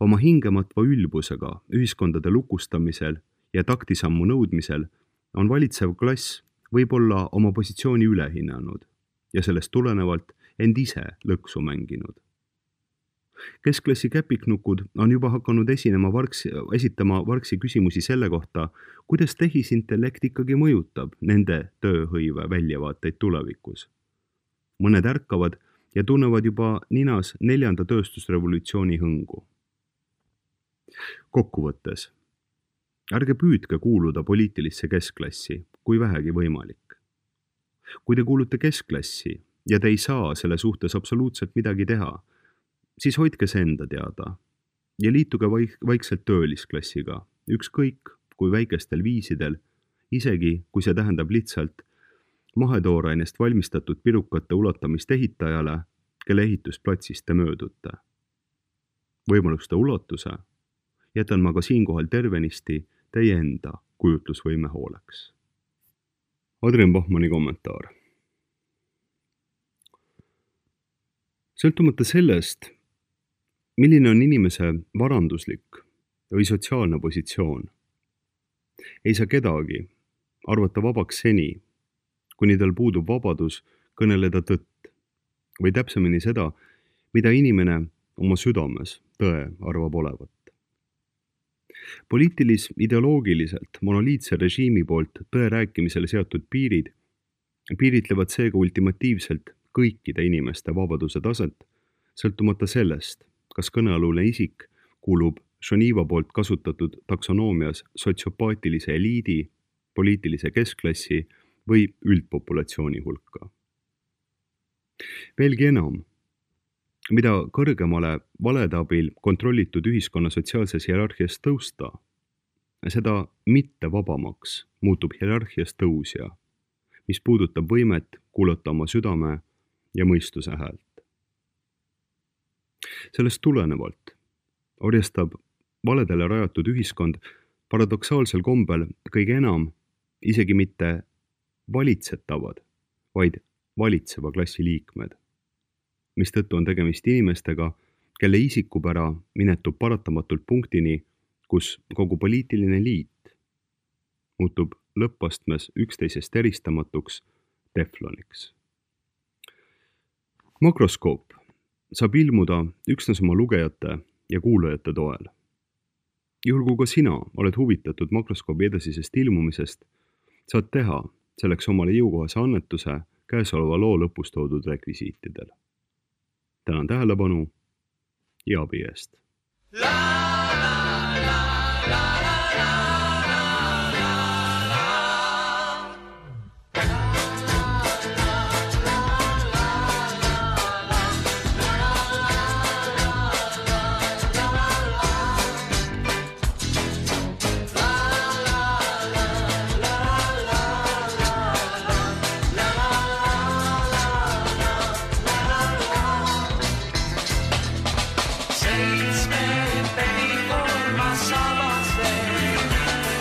Oma hingematva ülbusega ühiskondade lukustamisel ja taktisammu nõudmisel on valitsev klass võib-olla oma positsiooni ülehinnanud ja sellest tulenevalt end ise lõksu mänginud. Keskklassi käpiknukud on juba hakanud esinema varksi, esitama varksi küsimusi selle kohta, kuidas tehisintellekt ikkagi mõjutab nende tööhõive väljavaateid tulevikus. Mõned ärkavad ja tunnevad juba ninas neljanda tööstusrevolutsiooni hõngu. Kokkuvõttes, ärge püüdke kuuluda poliitilisse keskklassi, kui vähegi võimalik. Kui te kuulute keskklassi ja te ei saa selle suhtes absoluutselt midagi teha, siis hoidke see enda teada ja liituge vaik- vaikselt töölisklassiga, ükskõik kui väikestel viisidel, isegi kui see tähendab lihtsalt mahetoorainest valmistatud pirukate ulatamist ehitajale, kelle ehitusplatsist te möödute. Võimaluste ulatuse jätan ma ka siinkohal tervenisti teie enda kujutlusvõime hooleks. Adrian Bachmanni kommentaar. Sõltumata sellest, milline on inimese varanduslik või sotsiaalne positsioon, ei saa kedagi arvata vabaks seni, kuni tal puudub vabadus kõneleda tõtt või täpsemini seda, mida inimene oma südames tõe arvab olevat. Poliitilis-ideoloogiliselt monoliitse režiimi poolt tõe rääkimisele seatud piirid piiritlevad seega ultimatiivselt kõikide inimeste vabaduse taset, sõltumata sellest, kas kõnealune isik kuulub Geneva poolt kasutatud taksonoomias sotsiopaatilise eliidi, poliitilise keskklassi või üldpopulatsiooni hulka. Veelgi enam, mida kõrgemale valede abil kontrollitud ühiskonna sotsiaalses hierarhias tõusta, seda mitte vabamaks muutub hierarhias tõusja, mis puudutab võimet kuulata oma südame ja mõistuse häält. Sellest tulenevalt orjastab valedele rajatud ühiskond paradoksaalsel kombel kõige enam isegi mitte valitsetavad, vaid valitseva klassi liikmed, mistõttu on tegemist inimestega, kelle isikupära minetub paratamatult punktini, kus kogu poliitiline liit muutub lõppastmes üksteisest eristamatuks tefloniks. Makroskoop saab ilmuda üksnes oma lugejate ja kuulajate toel. Juhul kui ka sina oled huvitatud makroskoobi edasisest ilmumisest, saad teha selleks omale jõukohase annetuse käesoleva loo lõpus toodud rekvisiitidel. Tänan tähelepanu ja abi eest. Seitsme penni for ma sabas veel.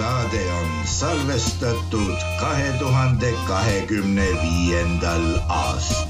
saade on salvestatud kahe tuhande kahekümne viiendal aastal.